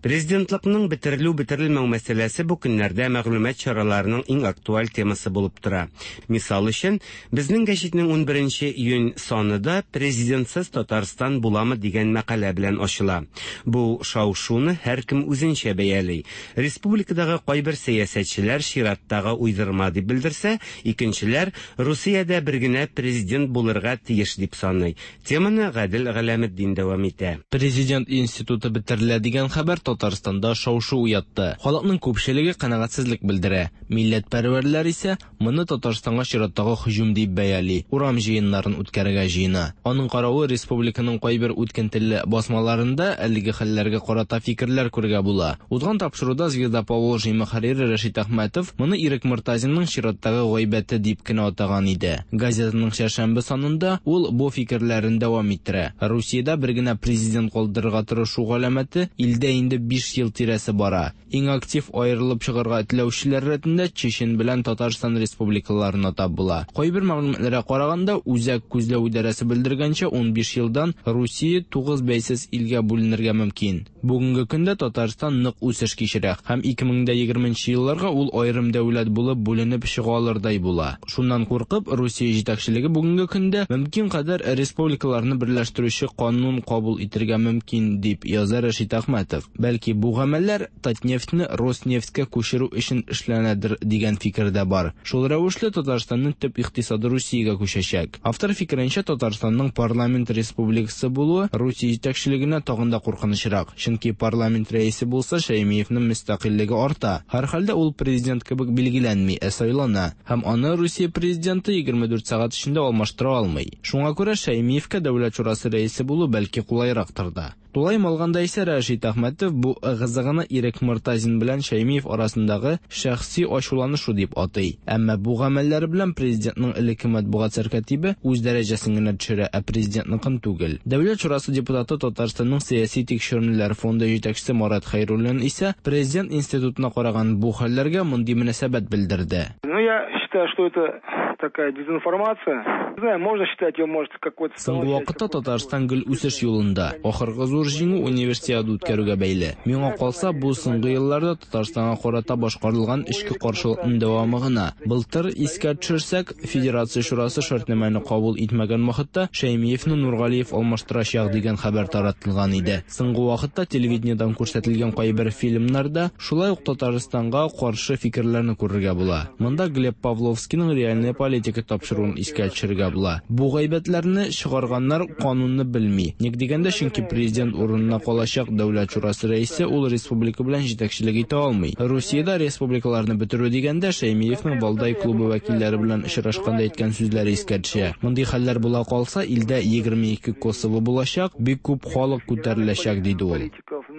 [SPEAKER 17] Президентлыкның бетерелү-бетерелмәү мәсьәләсе бу көннәрдә мәгълүмат чараларының иң актуаль темасы булып тора. Мисал өчен, Безнең гәҗитнең унберенче июнь саны да Президентсыз Татарстан буламы дигән мәкалә белән ачыла. Бу шау-шуны һәркем үзенчә бәяли. Республикадагы кайбер сәясәтчеләр чираттагы уйдырма дип белдерсә, икенчеләр Русиядә бер генә президент булырга тиеш дип саный. Теманы Гадел Галәметдин дәвам итә.
[SPEAKER 14] Президент институты бетерелә дигән хәбәр Татарстанда шау-шу уятты. Халыкның күпчелеге канәгатьсезлек белдерә. Милләтпәрвәрләр исә Моны Татарстанга чираттагы һөҗүм дип бәяли, урам җыеннарын үткәрергә җыена. Аның каравы, республиканың кайбер үткен телле басмаларында әлеге хәлләргә карата фикерләр күрергә була. Узган тапшыруда Звезда Поволжья мөхәррире Рәшит Әхмәтов моны Ирек Мортазинның чираттагы гайбәте дип кенә атаган иде. Газетаның чәршәмбе санында ул бу фикерләрен дәвам иттерә. Русиядә бер генә президент калдырырга тырышу галәмәте сәясәте илдә инде 5 ел тирәсе бара. Иң актив аерылып чыгарга теләүчеләр рәтендә Чечен белән Татарстан республикаларын атап була. Кайбер мәгълүматларга караганда, Үзәк күзләү идарәсе белдергәнчә, 15 елдан Русия 9 бәйсез илгә бүленергә мөмкин. Бүгенге көндә Татарстан нык үсеш кичерә һәм 2020 нче елларга ул аерым дәүләт булып бүленеп чыга алырдай була. Шуннан куркып, Русия җитәкчелеге бүгенге көндә мөмкин кадәр республикаларны берләштерүче канун кабул итергә мөмкин, дип яза Рәшит Әхмәтов. Бәлки бу гамәлләр Татнефтьне Роснефтькә күчерү өчен эшләнәдер дигән фикер дә бар. Шул рәвешле Татарстанның төп икътисады Русиягә күчәчәк. Автор фикеренчә, Татарстанның парламент республикасы булуы Русия җитәкчелегенә тагын да куркынычрак, чөнки парламент рәисе булса, Шәймиевнең мөстәкыйльлеге арта. Һәрхәлдә ул президент кебек билгеләнми, ә сайлана. Һәм аны Русия президенты 24 сәгать эчендә алмаштыра алмый. Шуңа күрә Шәймиевкә Дәүләт шурасы рәисе булу бәлки кулайрактыр да. Тулаем алганда исә Рәшит Әхмәтов бу ыгы-зыгыны Ирек Мортазин белән Шәймиев арасындагы шәхси ачуланышу дип атый. Әмма бу гамәлләре белән президентның элекке матбугат сәркатибе үз дәрәҗәсен генә төшерә, ә президентныкын түгел. Дәүләт шурасы депутаты Татарстанның сәяси тикшеренүләр фонды җитәкчесе Марат Хәйруллин исә президент институтына караган бу хәлләргә мондый мөнәсәбәт белдерде.
[SPEAKER 20] Ну, я считаю, что это такая дезинформация. Не знаю, можно считать ее, может, какой-то...
[SPEAKER 14] Соңгы вакытта Татарстан гел үсеш юлында. Ахыргы зур җиңү Универсиада үткәрүгә бәйле. Миңа калса, бу соңгы елларда Татарстанга карата башкарылган эчке каршылыкның дәвамы гына. Былтыр, искә төшерсәк, Федерация Шурасы шартнамәне кабул итмәгән вакытта Шәймиевне Нургалиев алмаштырачак дигән хәбәр таратылган иде. Соңгы вакытта телевидениедән күрсәтелгән кайбер фильмнарда шулай ук Татарстанга каршы фикерләрне күрергә була. Монда Глеб Павловскийның Реальная политика тапшыруын искә төшерергә була. Бу гайбәтләрне чыгарганнар канунны белми. Ник дигәндә, чөнки президент урынына калачак Дәүләт шурасы рәисе ул республика белән җитәкчелек итә алмый. Русиядә республикаларны бетерү дигәндә, Шәймиевнең Валдай клубы вәкилләре белән очрашканда әйткән сүзләре искә төшә. Мондый хәлләр була калса, илдә 22 Косово булачак, бик күп халык күтәреләчәк, диде ул.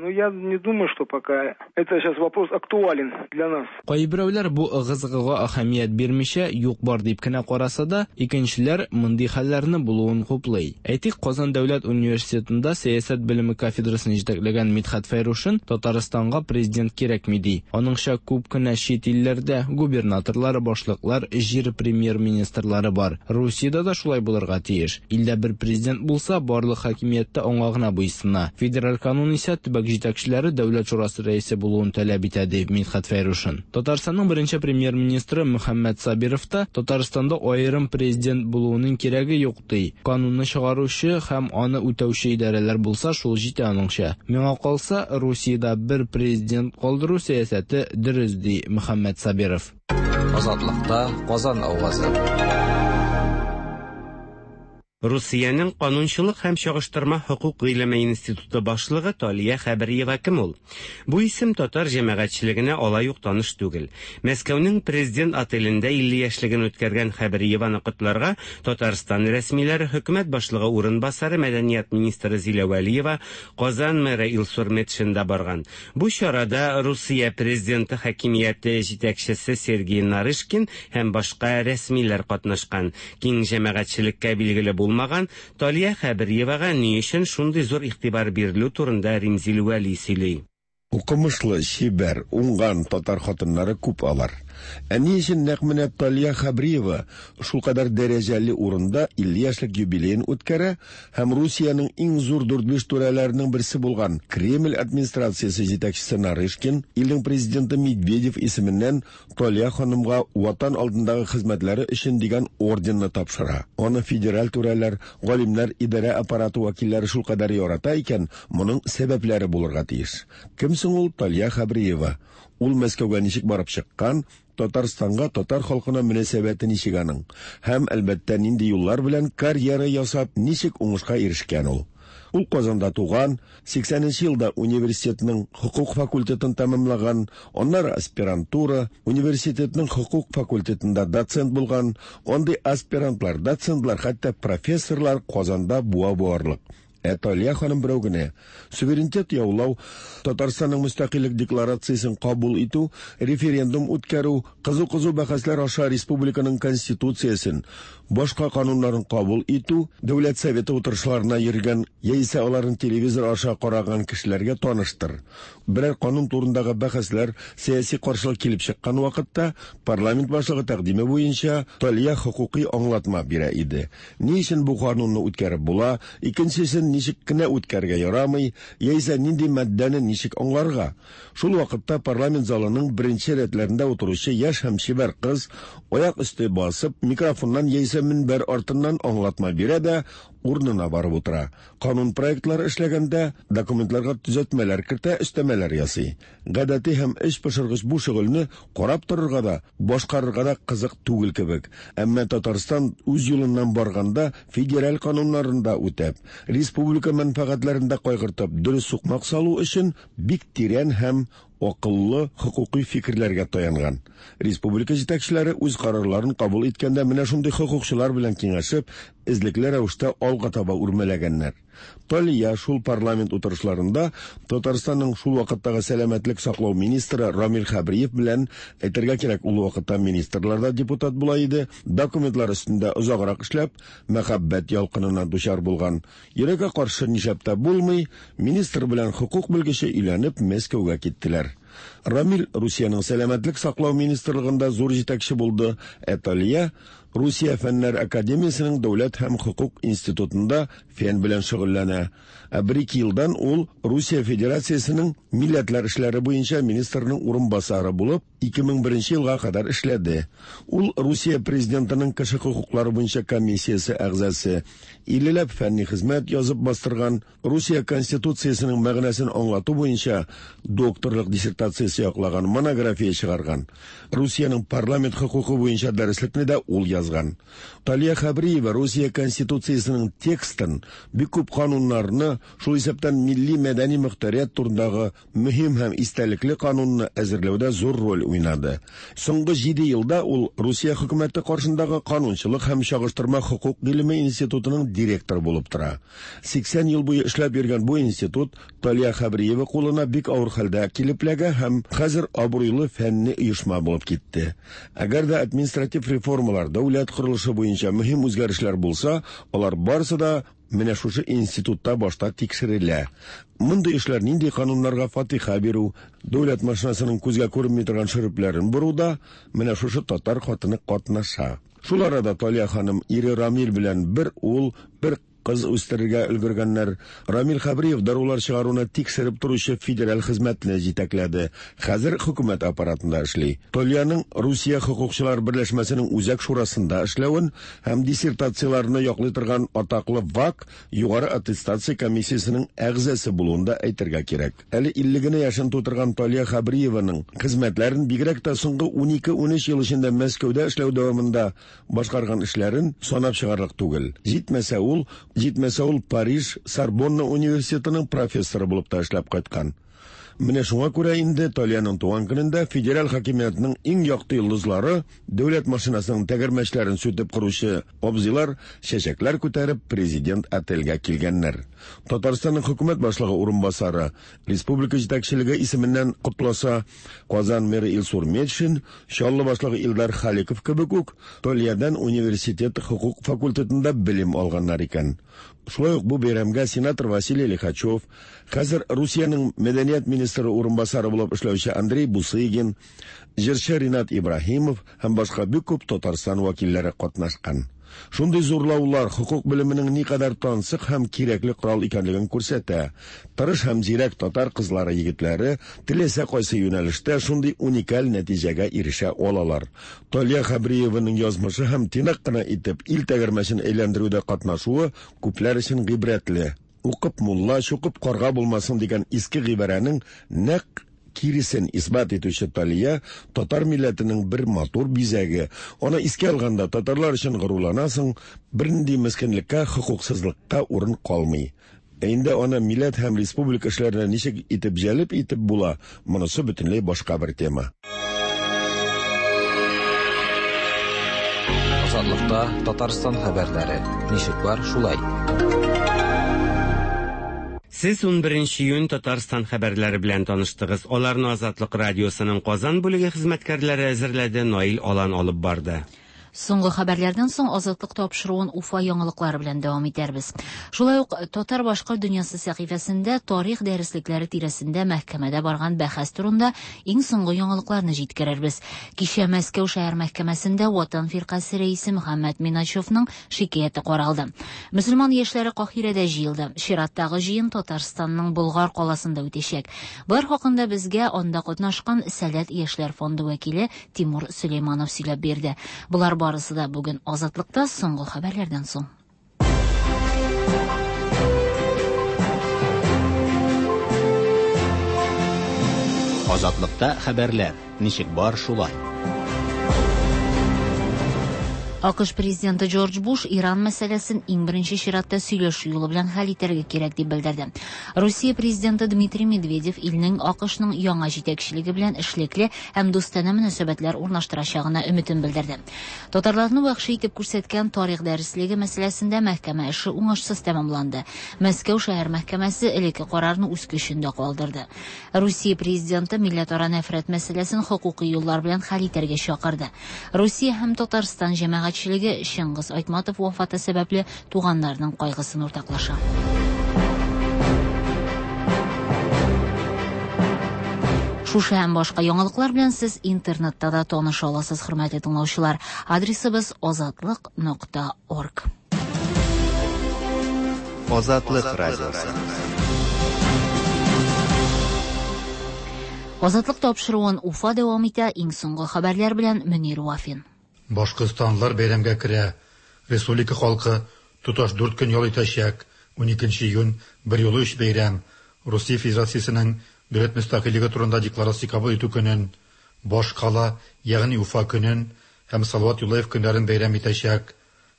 [SPEAKER 20] Ну, я не думаю, что пока это сейчас вопрос актуален для нас.
[SPEAKER 14] Кайберәүләр бу ыгы-зыгыга әһәмият бирмичә, юк-бар дип кенә караса да, икенчеләр мондый хәлләрне булуын хуплый. Әйтик, Казан дәүләт университетында сәясәт белеме кафедрасын җитәкләгән Мидхәт Фәйрушин Татарстанга президент кирәкми ди. Аныңча, күп кенә чит илләрдә губернаторлар, башлыклар, җир премьер-министрлары бар. Русиядә дә шулай булырга тиеш. Илдә бер президент булса, барлык хакимият тә аңа гына буйсына. Федераль канун исә төбәк җитәкчеләре Дәүләт шурасы рәисе булуын таләп итә, ди Мидхәт Фәйрушин. Татарстанның беренче премьер-министры Мөхәммәт Сабиров та Татарстанда аерым президент булуының кирәге юк, ди. Канунны чыгаручы һәм аны үтәүче идарәләр булса, шул җитә аныңча. Миңа калса, Русиядә бер президент калдыру сәясәте дөрес, ди Мөхәммәт Сабиров.
[SPEAKER 15] Азатлыкта Казан авазы.
[SPEAKER 17] Русиянең канунчылык һәм чагыштырма хокук гыйлеме институты башлыгы Талия Хәбриева кем ул? Бу исем татар җәмәгатьчелегенә алай ук таныш түгел. Мәскәүнең Президент отелендә 50 яшьлеген үткәргән Хәбриеваны котларга Татарстан рәсмиләре, хөкүмәт башлыгы урынбасары, мәдәният министры Зилә Вәлиева, Казан мэры Илсур Метшин да барган. Бу чарада Русия президенты хакимияте җитәкчесе Сергей Нарышкин һәм башка рәсмиләр катнашкан. Киң җәмәгатьчелеккә билгеле булмаган Талия Хәбриевага ни өчен шундый зур игътибар бирелү турында Римзил Вәли сөйли.
[SPEAKER 21] Укымышлы, чибәр, уңган татар хатыннары күп алар. Ә ни өчен нәкъ менә Талия Хәбриева шулкадәр дәрәҗәле урында 50 яшьлек юбилеен үткәрә һәм Русиянең иң зур дүрт-биш түрәләренең берсе булган Кремль администрациясе җитәкчесе Нарышкин илнең президенты Медведев исеменнән Талия ханымга Ватан алдындагы хезмәтләре өчен дигән орденны тапшыра. Аны федераль түрәләр, галимнәр, идарә аппараты вәкилләре шулкадәр ярата икән, моның сәбәпләре булырга тиеш. Кем соң ул Талия Хәбриева? Ул Мәскәүгә ничек барып чыккан, Татарстанга, татар халкына мөнәсәбәте ничек аның? Һәм, әлбәттә, нинди юллар белән карьера ясап, ничек уңышка ирешкән ул? Ул Казанда туган, 80 нче елда университетның хокук факультетын тәмамлаган, аннары аспирантура, университетның хокук факультетында доцент булган. Андый аспирантлар, доцентлар, хәтта профессорлар Казанда буа буарлык. Ә Талия ханым берәү генә. Суверенитет яулау, Татарстанның мөстәкыйльлек декларациясен кабул итү, референдум үткәрү, кызу-кызу бәхәсләр аша республиканың Конституциясен, башка кануннарын кабул итү, Дәүләт Советы утырышларына йөргән яисә аларны телевизор аша караган кешеләргә таныштыр. Берәр канун турындагы бәхәсләр, сәяси каршылык килеп чыккан вакытта, парламент башлыгы тәкъдиме буенча Талия хокукый аңлатма бирә иде. Ни өчен бу канунны үткәреп була, икенчесен ничек кенә үткәрергә ярамый, яисә нинди маддәне ничек аңларга? Шул вакытта парламент залының беренче рәтләрендә утыручы яшь һәм чибәр кыз, аяк өсте басып, микрофоннан яисә мөнбәр артыннан аңлатма бирә дә, урынына барып утыра. Канун проектлары эшләгәндә, документларга төзәтмәләр кертә, өстәмәләр ясый. Гадәти һәм эч пошыргыч бу шөгыльне карап торырга да, башкарырга да кызык түгел кебек. Әмма Татарстан үз юлыннан барганда федераль кануннарын да үтәп, республика мәнфәгатьләрен дә кайгыртып, дөрес сукмак салу өчен бик тирән һәм акыллы хокукый фикерләргә таянган. Республика җитәкчеләре үз карарларын кабул иткәндә менә шундый хокукчылар белән киңәшеп, эзлекле рәвештә алга таба үрмәләгәннәр. Талия шул парламент утырышларында Татарстанның шул вакыттагы сәламәтлек саклау министры Рамил Хәбриев белән, әйтергә кирәк, ул вакытта министрлар да депутат була иде, документлар өстендә озаграк эшләп, мәхәббәт ялкынына дучар булган. Йөрәккә каршы нишләп тә булмый, министр белән хокук белгече өйләнеп Мәскәүгә киттеләр. Рамил Русиянең сәламәтлек саклау министрлыгында зур җитәкче булды, ә Талия Русия фәннәр академиясенең дәүләт һәм хокук институтында фән белән шөгыльләнә. Ә бер-ике елдан ул Русия Федерациясенең милләтләр эшләре буенча министрның урынбасары булып, 2001 елга кадәр эшләде. Ул Русия президентының кеше хокуклары буенча комиссиясе әгъзасы, иллеләп фәнни хезмәт язып бастырган, Русия Конституциясенең мәгънәсен аңлату буенча докторлык диссертациясе яклаган, монография чыгарган. Русиянең парламент хокукы буенча дәреслекне дә ул язган. Талия Хәбриева Русия Конституциясенең текстын, бик күп кануннарны, шул исәптән милли-мәдәни мохтарият турындагы мөһим һәм истәлекле канунны әзерләүдә зур роль уйнады. Соңгы җиде елда ул Русия хөкүмәте каршындагы канунчылык һәм чагыштырма хокук гыйлеме институтының директоры булып тора. 80 ел буе эшләп йөргән бу институт Талия Хәбриева кулына бик авыр хәлдә килеп эләгә һәм хәзер абруйлы фәнни оешма булып китте. Әгәр дә административ реформалар, дәүләт корылышы буенча мөһим үзгәрешләр булса, алар барысы да Менә шушы институтта башта тикшерелә. Мондый эшләр нинди кануннарга фатиха бирү, дәүләт машинасының күзгә күренми торган шөрепләрен боруда менә шушы татар хатыны катнаша. Шул арада Талия ханым ире Рамил белән бер ул, бер кыз үстерергә өлгергәннәр. Рамил Хәбриев дарулар чыгаруны тикшереп торучы федераль хезмәтне җитәкләде. Хәзер хөкүмәт аппаратында эшли. Талияның Русия хокукчылар берләшмәсенең үзәк шурасында эшләвен һәм диссертацияләрне яклый торган атаклы ВАК югары аттестация комиссиясенең әгъзасы булуын да әйтергә кирәк. Әле 50 генә яшен тутырган Талия Хәбриеваның хезмәтләрен бигрәк тә соңгы 12-13 ел эчендә Мәскәүдә эшләү дәвамында башкарган эшләрен санап чыгарлык түгел. Җитмәсә ул, җитмәсә ул Париж Сорбонна университетының профессоры булып та эшләп кайткан. Менә шуңа күрә инде Талиянең туган көнендә федераль хакимиятнең иң якты йолдызлары, дәүләт машинасының тәгәрмәчләрен сүтеп коручы абзыйлар чәчәкләр күтәреп президент отельгә килгәннәр. Татарстанның хөкүмәт башлыгы урынбасары республика җитәкчелеге исеменнән котласа, Казан мэры Илсур Метшин, Чаллы башлыгы Илдар Халиков кебек үк Талиядән университет хокук факультетында белем алганнар икән. Шулай ук бу бәйрәмгә сенатор Василий Лихачев, хәзер Русиянең мәдәният министры урынбасары булып эшләүче Андрей Бусыгин, җырчы Ринат Ибраһимов һәм башка бик күп Татарстан вәкилләре катнашкан. Шундый зурлаулар хокук белеменең никадәр тансык һәм кирәкле корал икәнлеген күрсәтә. Тырыш һәм зирәк татар кызлары, егетләре теләсә кайсы юнәлештә шундый уникаль нәтиҗәгә ирешә алалар. Талия Хәбриеваның язмышы һәм тыйнак кына итеп ил тәгәрмәчен әйләндерүдә катнашуы күпләр өчен гыйбрәтле. Укып мулла, чукып карга булмасын дигән иске гыйбарәнең нәкъ киресен исбат итүче Талия татар милләтенең бер матур бизәге. Аны искә алганда татарлар өчен горурланасың, бернинди мескенлеккә, хокуксызлыкка урын калмый. Ә инде аны милләт һәм республика эшләренә ничек итеп җәлеп итеп була, монысы бөтенләй башка бер тема.
[SPEAKER 15] Азатлыкта Татарстан хәбәрләре. Ничек бар, шулай.
[SPEAKER 17] Сез 11 июнь Татарстан хәбәрләре белән таныштыгыз. Аларны Азатлык радиосының Казан бүлеге хезмәткәрләре әзерләде, Наил Алан алып барды.
[SPEAKER 2] Соңгы хәбәрләрдән соң Азатлык тапшыруын Уфа яңалыклары белән дәвам итәрбез. Шулай ук Татар-башкорт дөньясы сәхифәсендә тарих дәреслекләре тирәсендә мәхкәмәдә барган бәхәс турында иң соңгы яңалыкларны җиткерербез. Кичә Мәскәү шәһәр мәхкәмәсендә Ватан фиркасе рәисе Мөхәммәт Миначевның шикаяте каралды. Мөселман яшьләре Каһирәдә җыелды. Чираттагы җыен Татарстанның Болгар каласында үтәчәк. Болар хакында безгә анда катнашкан Сәләт яшьләр фонды вәкиле Тимур Сөләйманов сөйләп бирде. Болар барысы да бүген Азатлыкта соңгы хәбәрләрдән соң.
[SPEAKER 1] Азатлыкта хәбәрләр. Ничек бар шулай.
[SPEAKER 2] АКШ президенты Джордж Буш Иран мәсьәләсен иң беренче чиратта сөйләшү юлы белән хәл итәргә кирәк дип белдерде. Русия президенты Дмитрий Медведев илнең АКШның яңа җитәкчелеге белән эшлекле һәм дустанә мөнәсәбәтләр урнаштырачагына өметен белдерде. Татарларны вәхши итеп күрсәткән тарих дәреслеге мәсьәләсендә мәхкәмә эше уңышсыз тәмамланды. Мәскәү шәһәр мәхкәмәсе элекке карарны үз көчендә калдырды. Русия президенты милләтара нәфрәт мәсьәләсен хокукый юллар белән хәл итәргә чакырды. Русия һәм Татарстан җәмәгатьчелеге Чыңгыз Айтматов вафаты сәбәпле туганнарының кайгысын уртаклаша. Шушы һәм башка яңалыклар белән сез интернетта да таныша аласыз, хөрмәтле тыңлаучылар. Адресыбыз азатлык.орг.
[SPEAKER 16] Азатлык радиосы.
[SPEAKER 2] Азатлык тапшыруын Уфа дәвам итә. Иң соңгы хәбәрләр белән Мөнир Вафин.
[SPEAKER 4] Башкортстанлылар бәйрәмгә керә. Республика халкы тоташ 4 көн ял итәчәк. 12 июнь берьюлы өч бәйрәм. Русия Федерациясенең дәүләт мөстәкыйльлеге турында декларация кабул итү көнен, баш кала, ягъни Уфа көнен һәм Салават Юлаев көннәрен бәйрәм итәчәк.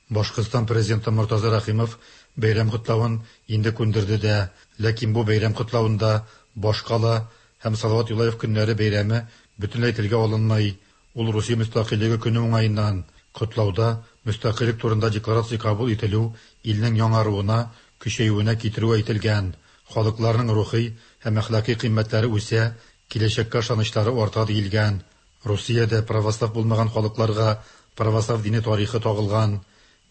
[SPEAKER 4] Башкортстан президенты Мортаза Рәхимов бәйрәм котлавын инде күндерде дә, ләкин бу бәйрәм котлавында баш кала һәм Салават Юлаев көннәре бәйрәме бөтенләй телгә алынмый. Ул Русия мөстәкыйльлеге көне уңаеннан котлауда мөстәкыйльлек турында декларация кабул ителү илнең яңаруына, көчәюенә китерүе әйтелгән. Халыкларның рухи һәм әхлакый кыйммәтләре үсә, киләчәккә ышанычлары арта диелгән. Русиядә православ булмаган халыкларга православ дине тарихы тагылган.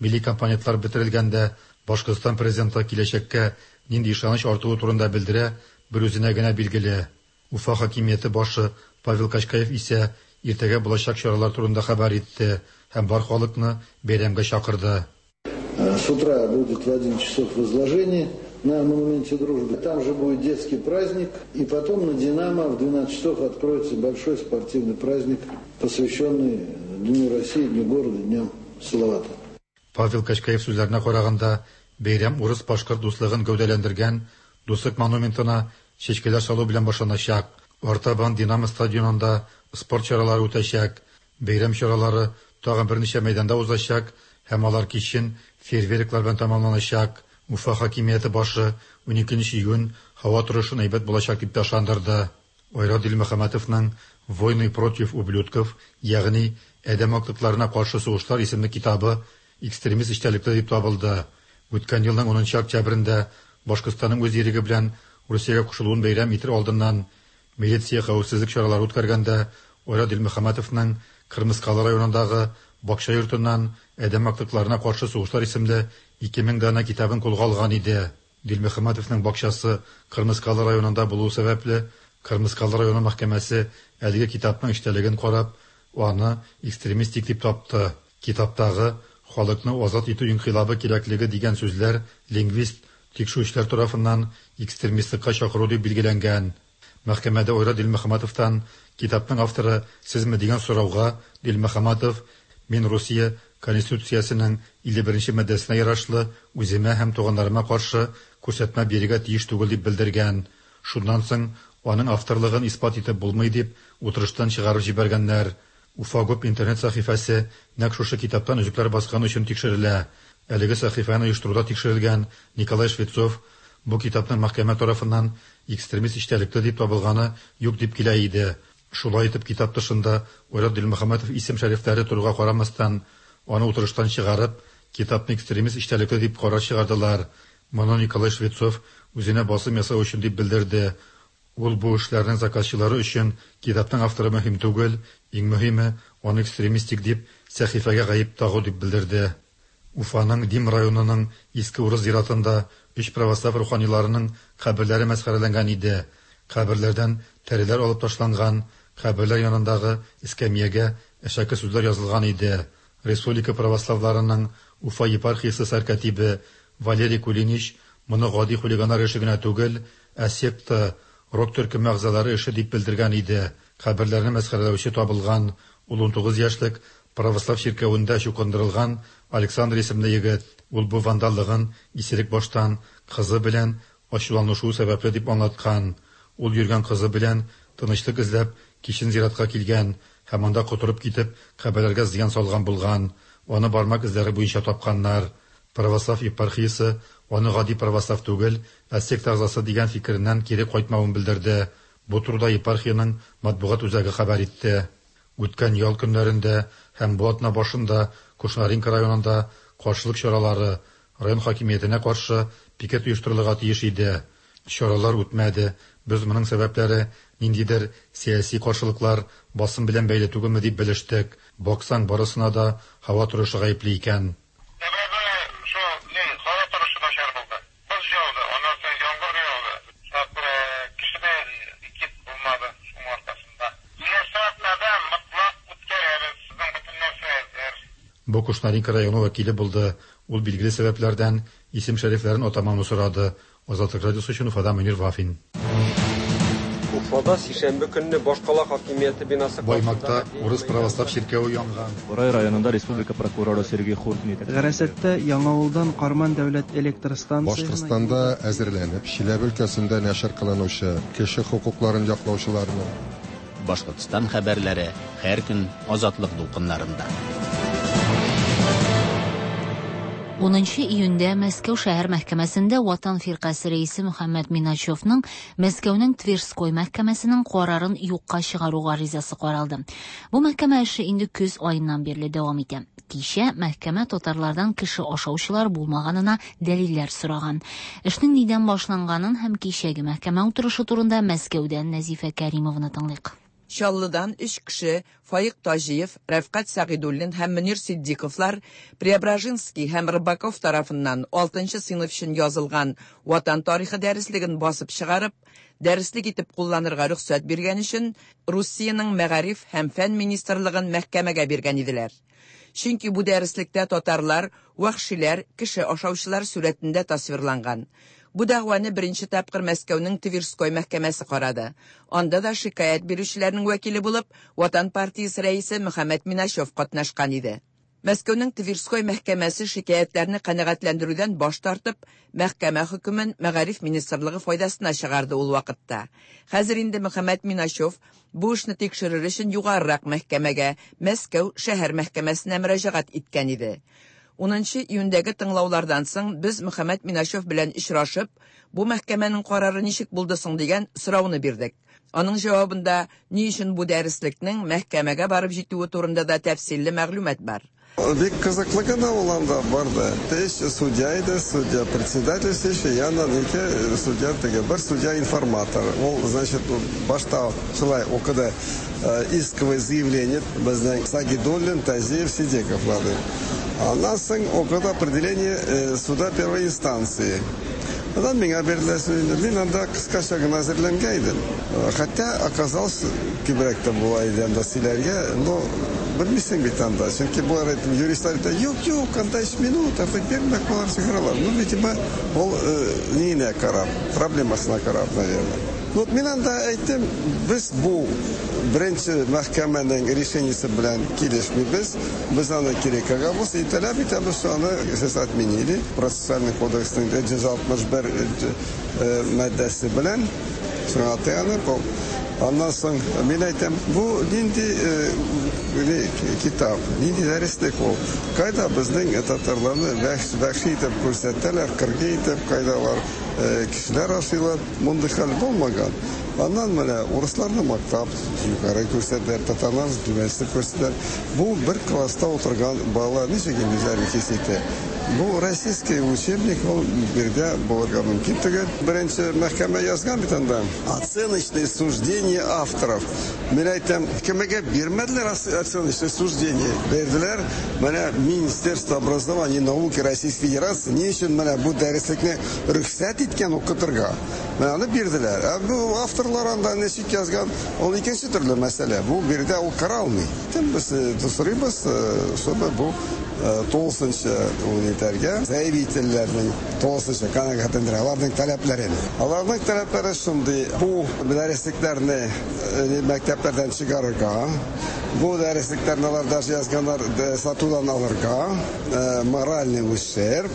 [SPEAKER 4] Милли компонентлар бетерелгәндә Башкортстан президенты киләчәккә нинди ышаныч артуы турында белдерә, бер үзенә генә билгеле. Уфа хакимияте башы Павел Качкаев исә иртәгә булачак чаралар турында хәбәр итте һәм бар халыкны бәйрәмгә чакырды.
[SPEAKER 22] С утра будет в 1 часов возложение на монументе дружбы. Там же будет детский праздник. И потом на «Динамо» в 12 часов откроется большой спортивный праздник, посвященный Дню России, Дню города, Дню Салавата.
[SPEAKER 4] Павел Качкаев сүзләренә караганда, бәйрәм урыс-башкорт дуслыгын гәүдәләндергән Дуслык монументына чәчкәләр салу белән башланачак. Артабан Динамо стадионында спорт чаралары үтәчәк. Бәйрәм чаралары тагын берничә мәйданда узачак һәм алар кичен фейерверклар белән тәмамланачак. Уфа хакимияте башы 12 июнь һава торышын әйбәт булачак дип тә ышандырды. Айрат Дилмөхәммәтовның Войны против ублюдков, ягъни Адәм актыкларына каршы сугышлар исемле китабы экстремист эчтәлекле дип табылды. Үткән елның 10 октябрендә Башкортстанның үз иреге белән Русиягә кушылуын бәйрәм итер алдыннан милиция хәвефсезлек чаралары үткәргәндә Айрат Дилмөхәммәтовның Кырмыскалы районындагы бакча йортыннан Адәм актыкларына каршы сугышлар исемле 2000 данә китабын кулга алган иде. Дилмөхәммәтовның бакчасы Кырмыскалы районында булуы сәбәпле, Кырмыскалы районы мәхкәмәсе әлеге китапның эчтәлеген карап, аны экстремистик дип тапты. Китаптагы халыкны азат итү инкыйлабы кирәклеге дигән сүзләр лингвист тикшерүчеләр тарафыннан экстремистлыкка чакыру дип билгеләнгән. Мәхкәмәдә Айрат Дилмөхәммәтовтан китапның авторы сезме дигән сорауга Дилмөхәммәтов мин Русия Конституциясенең 51 маддәсенә ярашлы үземә һәм туганнарыма каршы күрсәтмә бирергә тиеш түгел дип белдергән. Шуннан соң аның авторлыгын исбат итеп булмый дип утырыштан чыгарып җибәргәннәр. Уфа ГУП интернет сәхифәсе нәкъ шушы китаптан өзекләр баскан өчен тикшерелә. Әлеге сәхифәне оештыруда тикшерелгән Николай Швецов бу китапның мәхкәмә тарафыннан экстремист эчтәлекле дип табылганы юк дип килә иде. Шулай итеп китап тышында Айрат Дилмөхәммәтов исем шәрифләре торуга карамастан, аны утырыштан чыгарып, китапны экстремист эчтәлекле дип карар чыгардылар. Моны Николай Швецов үзенә басым ясау өчен дип белдерде. Ул бу эшләрнең заказчылары өчен китапның авторы мөһим түгел, иң мөһиме, аны экстремистик дип, сәхифәгә гаеп тагу дип белдерде. Уфаның Дим районының Иске Урыс зиратында өч православ руханиларының каберләре мәсхәрәләнгән иде. Каберләрдән тәреләр алып ташланган, каберләр янындагы эскәмиягә әшәке сүзләр язылган иде. Республика православларының Уфа епархиясе сәркатибе Валерий Кулинич моны гади хулиганнар эше генә түгел, ә секта, рок төркеме әгъзалары эше дип белдергән иде. Каберләрне мәсхәрәләүче табылган, ул 19 яшьлек православ чиркәвендә чукындырылган Александр исемле егет. Ул бу вандаллыгын исерек баштан кызы белән ачуланышуы сәбәпле дип аңлаткан. Ул йөргән кызы белән тынычлык эзләп кичен зиратка килгән һәм анда котырып китеп каберләргә зыян салган булган. Аны бармак эзләре буенча тапканнар. Православ епархиясе аны гади православ түгел, ә секта әгъзасы дигән фикереннән кире кайтмавын белдерде. Бу турыда епархиянең матбугат үзәге хәбәр итте. Үткән ял көннәрендә һәм бу атна башында Кушнаренко районында каршылык чаралары, район хакимиятенә каршы пикет оештырылырга тиеш иде. Чаралар үтмәде. Без моның сәбәпләре ниндидер сәяси каршылыклар, басым белән бәйле түгелме дип белештек. Баксаң, барысына да һава торышы гаепле икән.
[SPEAKER 3] Сәбәбе шул, ни, һава торышы начар булды. Боз яуды, аннан соң яңгыр яуды. Шуңа күрә кеше дә пикет булмады шуның аркасында. Киләсе атнада мотлак үткәрәбез, безнең бөтен нәрсә әзер.
[SPEAKER 4] Бу Кушнаренко районы вәкиле булды. Ул билгеле сәбәпләрдән исем-шәрифләрен атамауны сорады. Азатлык радиосы өчен Уфадан Мөнир Вафин.
[SPEAKER 5] Уфада сишәмбе көнне башкала хакимияте бинасы
[SPEAKER 4] Баймакта
[SPEAKER 5] каршындагы
[SPEAKER 4] урыс православ чиркәве янган.
[SPEAKER 23] Борай районында республика прокуроры Сергей Хуркин итәкчелек.
[SPEAKER 24] Гарасаттә Яңавылдан Карман дәүләт электр станциясенә
[SPEAKER 25] Башкортстанда әзерләнеп, Чиләбе өлкәсендә нәшер кылынучы кеше хокукларын яклаучыларның,
[SPEAKER 1] Башкортстан хәбәрләре һәр көн Азатлык дулкыннарында.
[SPEAKER 2] 10 июньдә Мәскәү шәһәр мәхкәмәсендә Ватан фиркасе рәисе Мөхәммәд Миначевның Мәскәүнең Тверской мәхкәмәсенең карарын юкка чыгару гаризасы каралды. Бу мәхкәмә эше инде көз аеннан бирле дәвам итә. Кичә мәхкәмә татарлардан кеше ашаучылар булмаганына дәлилләр сораган. Эшнең нидән башланганын һәм кичәге мәхкәмә утырышы турында Мәскәүдән Нәзифә Кәримованы тыңлыйк.
[SPEAKER 26] Чаллыдан өч кеше Фаик Таҗиев, Рәфкать Сәгыйдуллин һәм Мөнир Ситдиковлар Преображенский һәм Рыбаков тарафыннан 6 сыйныф өчен язылган Ватан тарихы дәреслеген басып чыгарып, дәреслек итеп кулланырга рөхсәт биргән өчен Русиянең мәгариф һәм фән министрлыгын мәхкәмәгә биргән иделәр. Чөнки бу дәреслектә татарлар, вәхшиләр, кеше ашаучылар сурәтендә тасвирланган. Бу дәгъваны беренче тапкыр Мәскәүнең Тверской мәхкәмәсе карады. Анда да шикаять бирүчеләрнең вәкиле булып Ватан партиясе рәисе Мөхәммәд Миначев катнашкан иде. Мәскәүнең Тверской мәхкәмәсе шикаятьләрне канәгатьләндерүдән баш тартып, мәхкәмә хөкемен Мәгариф министрлыгы файдасына чыгарды ул вакытта. Хәзер инде Мөхәммәд Миначев бу эшне тикшерер өчен югарырак мәхкәмәгә, Мәскәү шәһәр мәхкәмәсенә мөрәҗәгать иткән иде. 10 июньдәге тыңлаулардан соң без Мөхәммәд Миначев белән очрашып, бу мәхкәмәнең карары ничек булды соң дигән сорауны бирдек. Аның җавабында ни өчен бу дәреслекнең мәхкәмәгә барып җитүе турында да тәфсилле мәгълүмат бар.
[SPEAKER 25] Бик кызыклы гына ул анда барды. Өч судья иде, судья председательствующий, яннан ике судья теге, бер судья информатор. Ул, значит, башта шулай укыды исковое заявление безнең Сагидуллин, Тазиев, Сидековларның. Аннан соң укыды определение суда первой инстанции. Аннан миңа бирделәр сүзне. Мин анда кыскача гына әзерләнгән идем. Хотя оказалось, күбрәк тә була иде анда сөйләргә, но белмисең бит анда. Чөнки болар әйтеп, юристлар әйтә, юк, юк, анда 3 минут, артык бирмәк болар чыгаралар. Ну, видимо, ул ниенә карап, проблемасына карап, наверное. Вот мин анда әйттем, без бу беренче мәхкәмәнең решениесе белән килешмибез, без аны кире кагабыз, и таләп итәбез, что аны сез отменили. Процессуальный кодексның 161 маддәсе белән шуңа таянып, аннан соң мин әйтәм, бу нинди китап, нинди дәреслек ул? Кайда безнең татарларны вәхши итеп күрсәтәләр, кыргый итеп, кайда алар кешеләр ашыйлар, мондый хәл булмаган. Аннан менә урысларны мактап, югары күрсәтәләр, татарларны түбәнсетеп күрсәтәләр. Бу бер класста утырган балалар ничек инде үзләрен хис итә? Бу российский учебник, ул бирдә булырга мөмкин түгел. Беренче мәхкәмә язган бит анда. Оценочное суждение авторов. Мин әйтәм, кемгә бирмәделәр оценочное суждение? Бирделәр менә Министерство образования и науки Российской Федерации ни өчен менә бу дәреслекне рөхсәт иткән укытырга? Менә аны бирделәр. Ә бу авторлар анда ничек язган, ул икенче төрле мәсьәлә. Бу биредә ул каралмый. Кем без сорыйбыз, чтобы бу тулысынча ул итәргә, заявительләрнең тулысынча канәгатьләндерә, аларның таләпләрен. Аларның таләпләре шундый, бу дәреслекләрне мәктәпләрдән чыгарырга, бу дәреслекләрне алар даже язганнар сатудан алырга, моральный ущерб,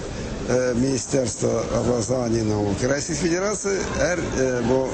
[SPEAKER 25] Министерство образования и науки Российской Федерации һәр бу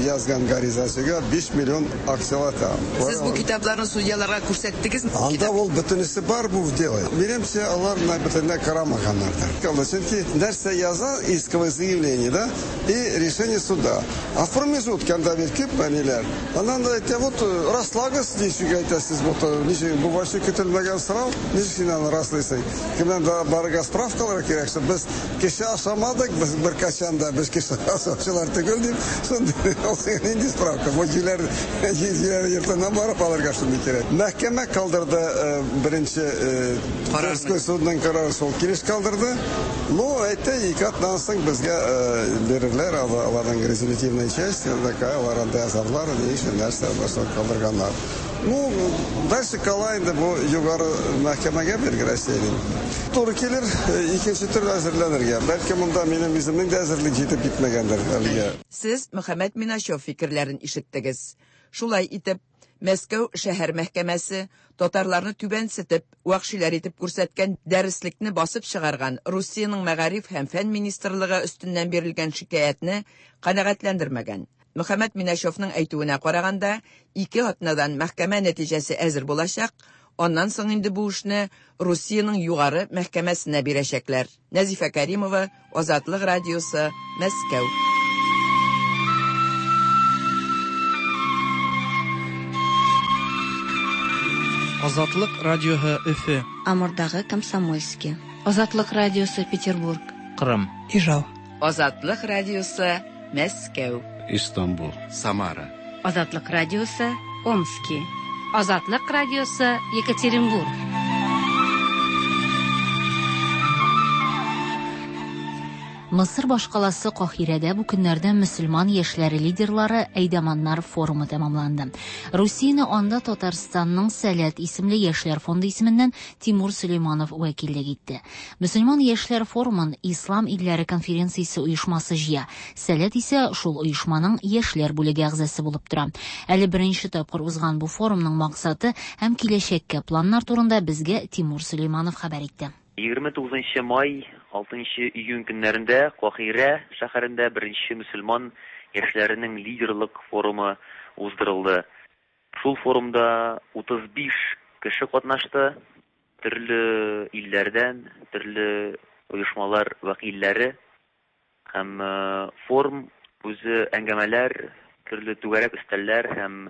[SPEAKER 25] язган гаризачыга 5 миллион акчалата.
[SPEAKER 26] Сез бу китапларны судьяларга күрсәттегезме?
[SPEAKER 25] Анда ул бөтенесе бар бу в деле. Минемчә, алар менә бөтенләй карамаганнардыр. Чөнки нәрсә яза исковое заявление, да, и решение суда. А в промежутке анда бит күп әниләр. Аннан да әйтә, вот раслагыз, ничек әйтәсез, бу ничек, бу вообще көтелмәгән сорау, ничек син аны раслыйсың? Кемнән дә барырга справкалар кирәк, что без кеше ашамадык, без беркайчан да без кеше ашаучылар түгел дип, шундый ул сиңа нинди справка? Бу җүләр, җүләр йортыннан барып алырга шундый кирәк. Мәхкәмә калдырды беренче Тверской судның карары шул килеш калдырды. Ну, әйтте, ике атнадан соң безгә бирерләр, аларның резолютивная часть, такая, алар анда язарлар, ни өчен нәрсә шул калдырганнар. Ну, дальше кала инде бу югары мәхкәмәгә бирге Россиянең. Туры килер, икенче төрле әзерләнергә. Бәлки монда минем үземнең дә әзерлек җитеп китмәгәндер әлегә.
[SPEAKER 26] Сез Мөхәммәт Миначев фикерләрен ишеттегез. Шулай итеп, Мәскәү шәһәр мәхкәмәсе татарларны түбәнсетеп, вәхшиләр итеп күрсәткән дәреслекне басып чыгарган Русиянең мәгариф һәм фән министрлыгы өстеннән бирелгән шикаятьне канәгатьләндермәгән. Мөхәммәт Миначевның әйтүенә караганда, ике атнадан мәхкәмә нәтиҗәсе әзер булачак, аннан соң инде бу эшне Русиянең югары мәхкәмәсенә бирәчәкләр. Нәзифә Кәримова, Азатлык радиосы, Мәскәү.
[SPEAKER 24] Азатлык радиоһы Өфе.
[SPEAKER 6] Амурдагы Комсомольски. Азатлык радиосы Петербург.
[SPEAKER 1] Кырым.
[SPEAKER 6] Ижау.
[SPEAKER 26] Азатлык радиосы Мәскәү.
[SPEAKER 7] Истанбул. Самара.
[SPEAKER 19] Азатлык радиосы Омски. Азатлык радиосы Екатеринбург.
[SPEAKER 2] Мысыр башкаласы Каһирәдә бу көннәрдә мөселман яшьләре лидерлары Әйдаманнар форумы тәмамланды. Русияне анда Татарстанның Сәләт исемле яшьләр фонды исеменнән Тимур Сөләйманов вәкиллек итте. Мөселман яшьләр форумын Ислам илләре конференциясе оешмасы җыя. Сәләт исә шул оешманың яшьләр бүлеге әгъзасы булып тора. Әле беренче тапкыр узган бу форумның максаты һәм киләчәккә планнар турында безгә Тимур Сөләйманов хәбәр итте.
[SPEAKER 8] 29 нчы май, 6 нчы июнь көннәрендә Каһирә шәһәрендә беренче мөселман яшьләренең лидерлык форумы уздырылды. Шул форумда 35 кеше катнашты, төрле илләрдән, төрле оешмалар вәкилләре. Һәм форум үзе әңгәмәләр, төрле түгәрәк өстәлләр һәм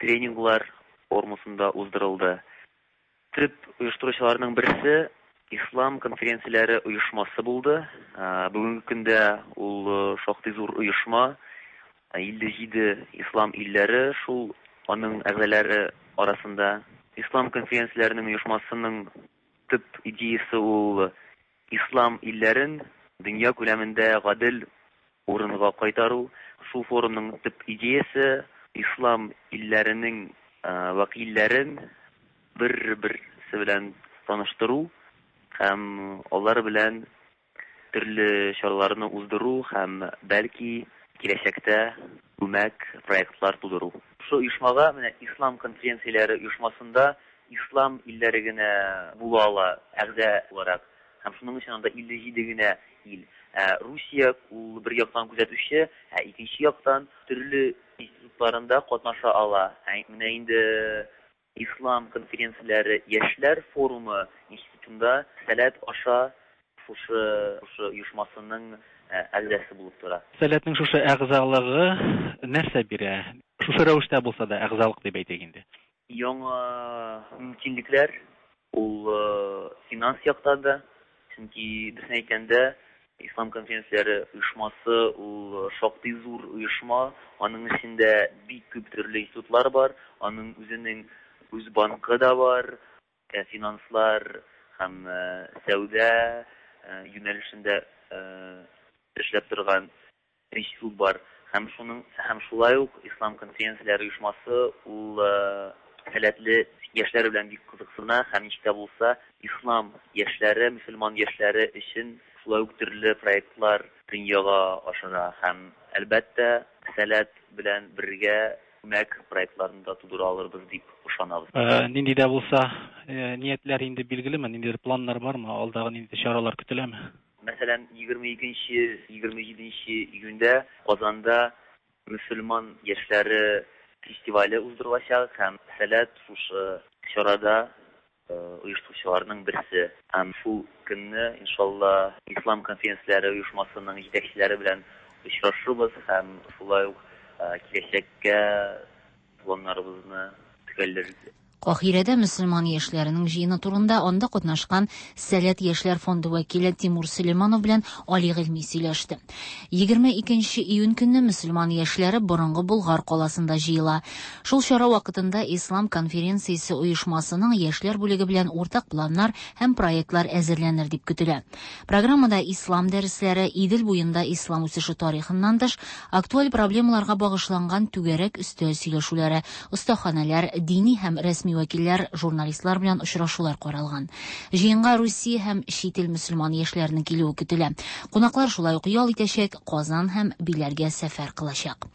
[SPEAKER 8] тренинглар формасында уздырылды. Төп оештыручыларның берсе Ислам конференцияләре оешмасы булды. Бүгенге көндә ул шактый зур оешма. 57 ислам илләре шул аның әгъзалары арасында. Ислам конференцияләренең оешмасының төп идеясе ул ислам илләрен дөнья күләмендә гадел урынга кайтару. Шул форумның төп идеясе ислам илләренең вәкилләрен бер-берсе белән таныштыру һәм алар белән төрле чараларны уздыру һәм бәлки киләчәктә күмәк проектлар тудыру. Шушы оешмага менә ислам конференцияләре оешмасында ислам илләре генә була ала әгъза буларак. Һәм шуның өчен анда 57 генә ил. Ә Русия ул бер яктан күзәтүче, ә икенче яктан төрле институтларында катнаша ала. Ә менә инде Ислам конференцияләре яшьләр форумы институтында Сәләт аша шушы шушы оешмасының әгъзасы булып тора.
[SPEAKER 9] Сәләтнең шушы әгъзалыгы нәрсә бирә? Шушы рәвештә булса да әгъзалык дип әйтик инде.
[SPEAKER 8] Яңа мөмкинлекләр, ул финанс яктан да, Чөнки, дөресен әйткәндә, Ислам конференцияләре оешмасы ул шактый зур оешма, аның эчендә бик күп төрле институтлар бар, аның үзенең үз банкы да бар, финанслар һәм сәүдә юнәлешендә эшләп торган институт бар. Һәм шуның һәм шулай ук Ислам конференцияләре оешмасы ул сәләтле яшьләр белән бик кызыксына һәм ничек тә булса ислам яшьләре, мөселман яшьләре өчен шулай ук төрле проектлар дөньяга ашыра һәм, әлбәттә, Сәләт белән бергә күмәк проектларны да тудыра алырбыз дип ышанабыз.
[SPEAKER 9] Нинди дә булса ниятләр инде билгелеме, ниндидер планнар бармы, алдагы ниндидер чаралар көтеләме?
[SPEAKER 8] Мәсәлән, 22 27 июньдә Казанда мөселман яшьләре фестивале уздырылачак һәм Сәләт шушы чарада оештыручыларның берсе. Һәм шул көнне, иншалла, Ислам конференцияләре оешмасының җитәкчеләре белән очрашырбыз һәм шулай ук киләчәккә планнарыбызны төгәлләрбез.
[SPEAKER 2] Каһирәдә мөселман яшьләренең җыены турында анда катнашкан Сәләт яшьләр фонды вәкиле Тимур Сөләйманов белән Али Гыйльми сөйләште. 22 нче июнь көнне мөселман яшьләре борынгы Болгар каласында җыела. Шул чара вакытында Ислам конференциясе оешмасының яшьләр бүлеге белән уртак планнар һәм проектлар әзерләнер дип көтелә. Программада ислам дәресләре, Идел буенда ислам үсеше тарихыннан тыш, актуаль проблемаларга багышланган түгәрәк өстәл сөйләшүләре, остаханәләр, дини һәм рәсми вәкилләр, журналистлар белән очрашулар каралган. Җыенга Русия һәм чит ил мөселман яшьләренең килүе көтелә. Кунаклар шулай ук ял итәчәк, Казан һәм Биләргә сәфәр кылачак.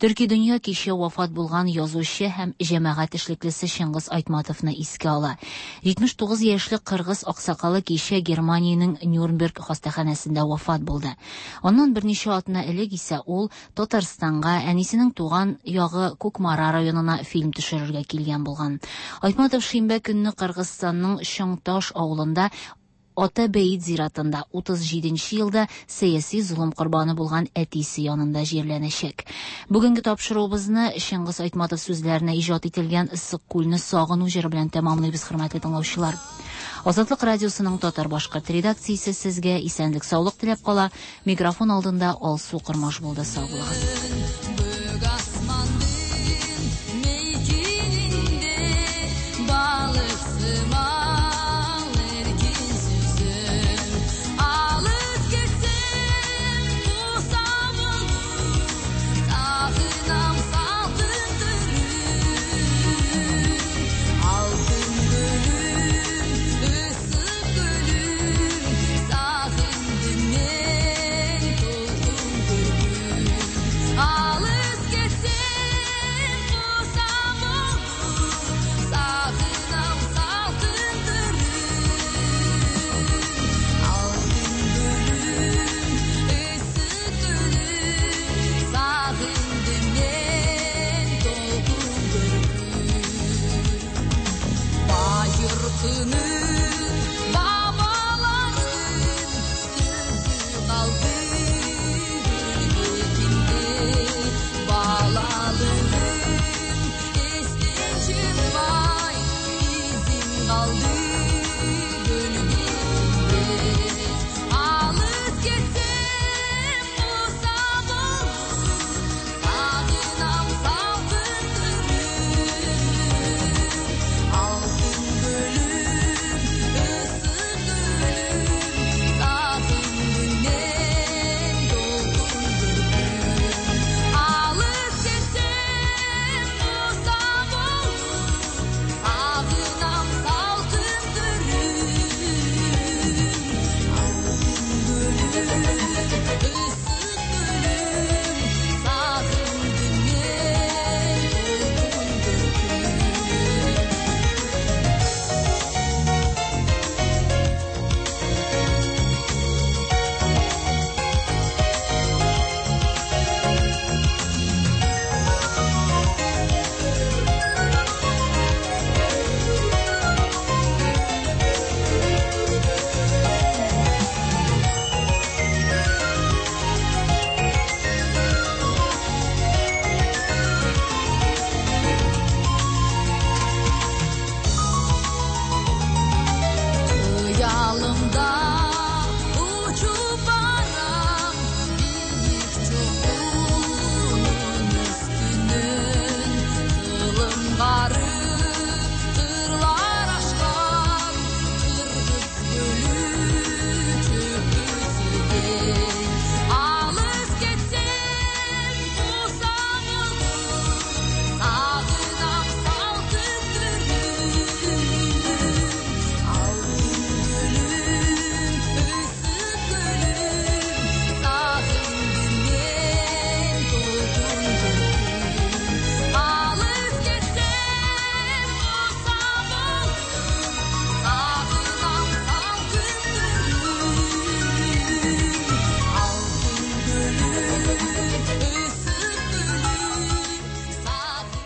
[SPEAKER 2] Төрки дөнья кичә вафат булган язучы һәм җәмәгать эшлеклесе Чыңгыз Айтматовны искә ала. 79 яшьлек кыргыз аксакалы кичә Германиянең Нюрнберг хастаханәсендә вафат булды. Аннан берничә атна элек исә ул Татарстанга, әнисенең туган ягы Кукмара районына фильм төшерергә килгән булган. Айтматов шимбә көнне Кыргызстанның Чоң-Таш авылында Ата Бәет зиратында 37 нче елда сәяси золым корбаны булган әтисе янында җирләнәчәк. Бүгенге тапшыруыбызны Чыңгыз Айтматов сүзләренә иҗат ителгән Ыссык-Күлне сагыну җыры белән тәмамлыйбыз, хөрмәтле тыңлаучылар. Азатлык радиосының татар-башкорт редакциясе сезгә исәнлек-саулык теләп кала. Микрофон алдында Алсу Кормаш булды. Сау булыгыз.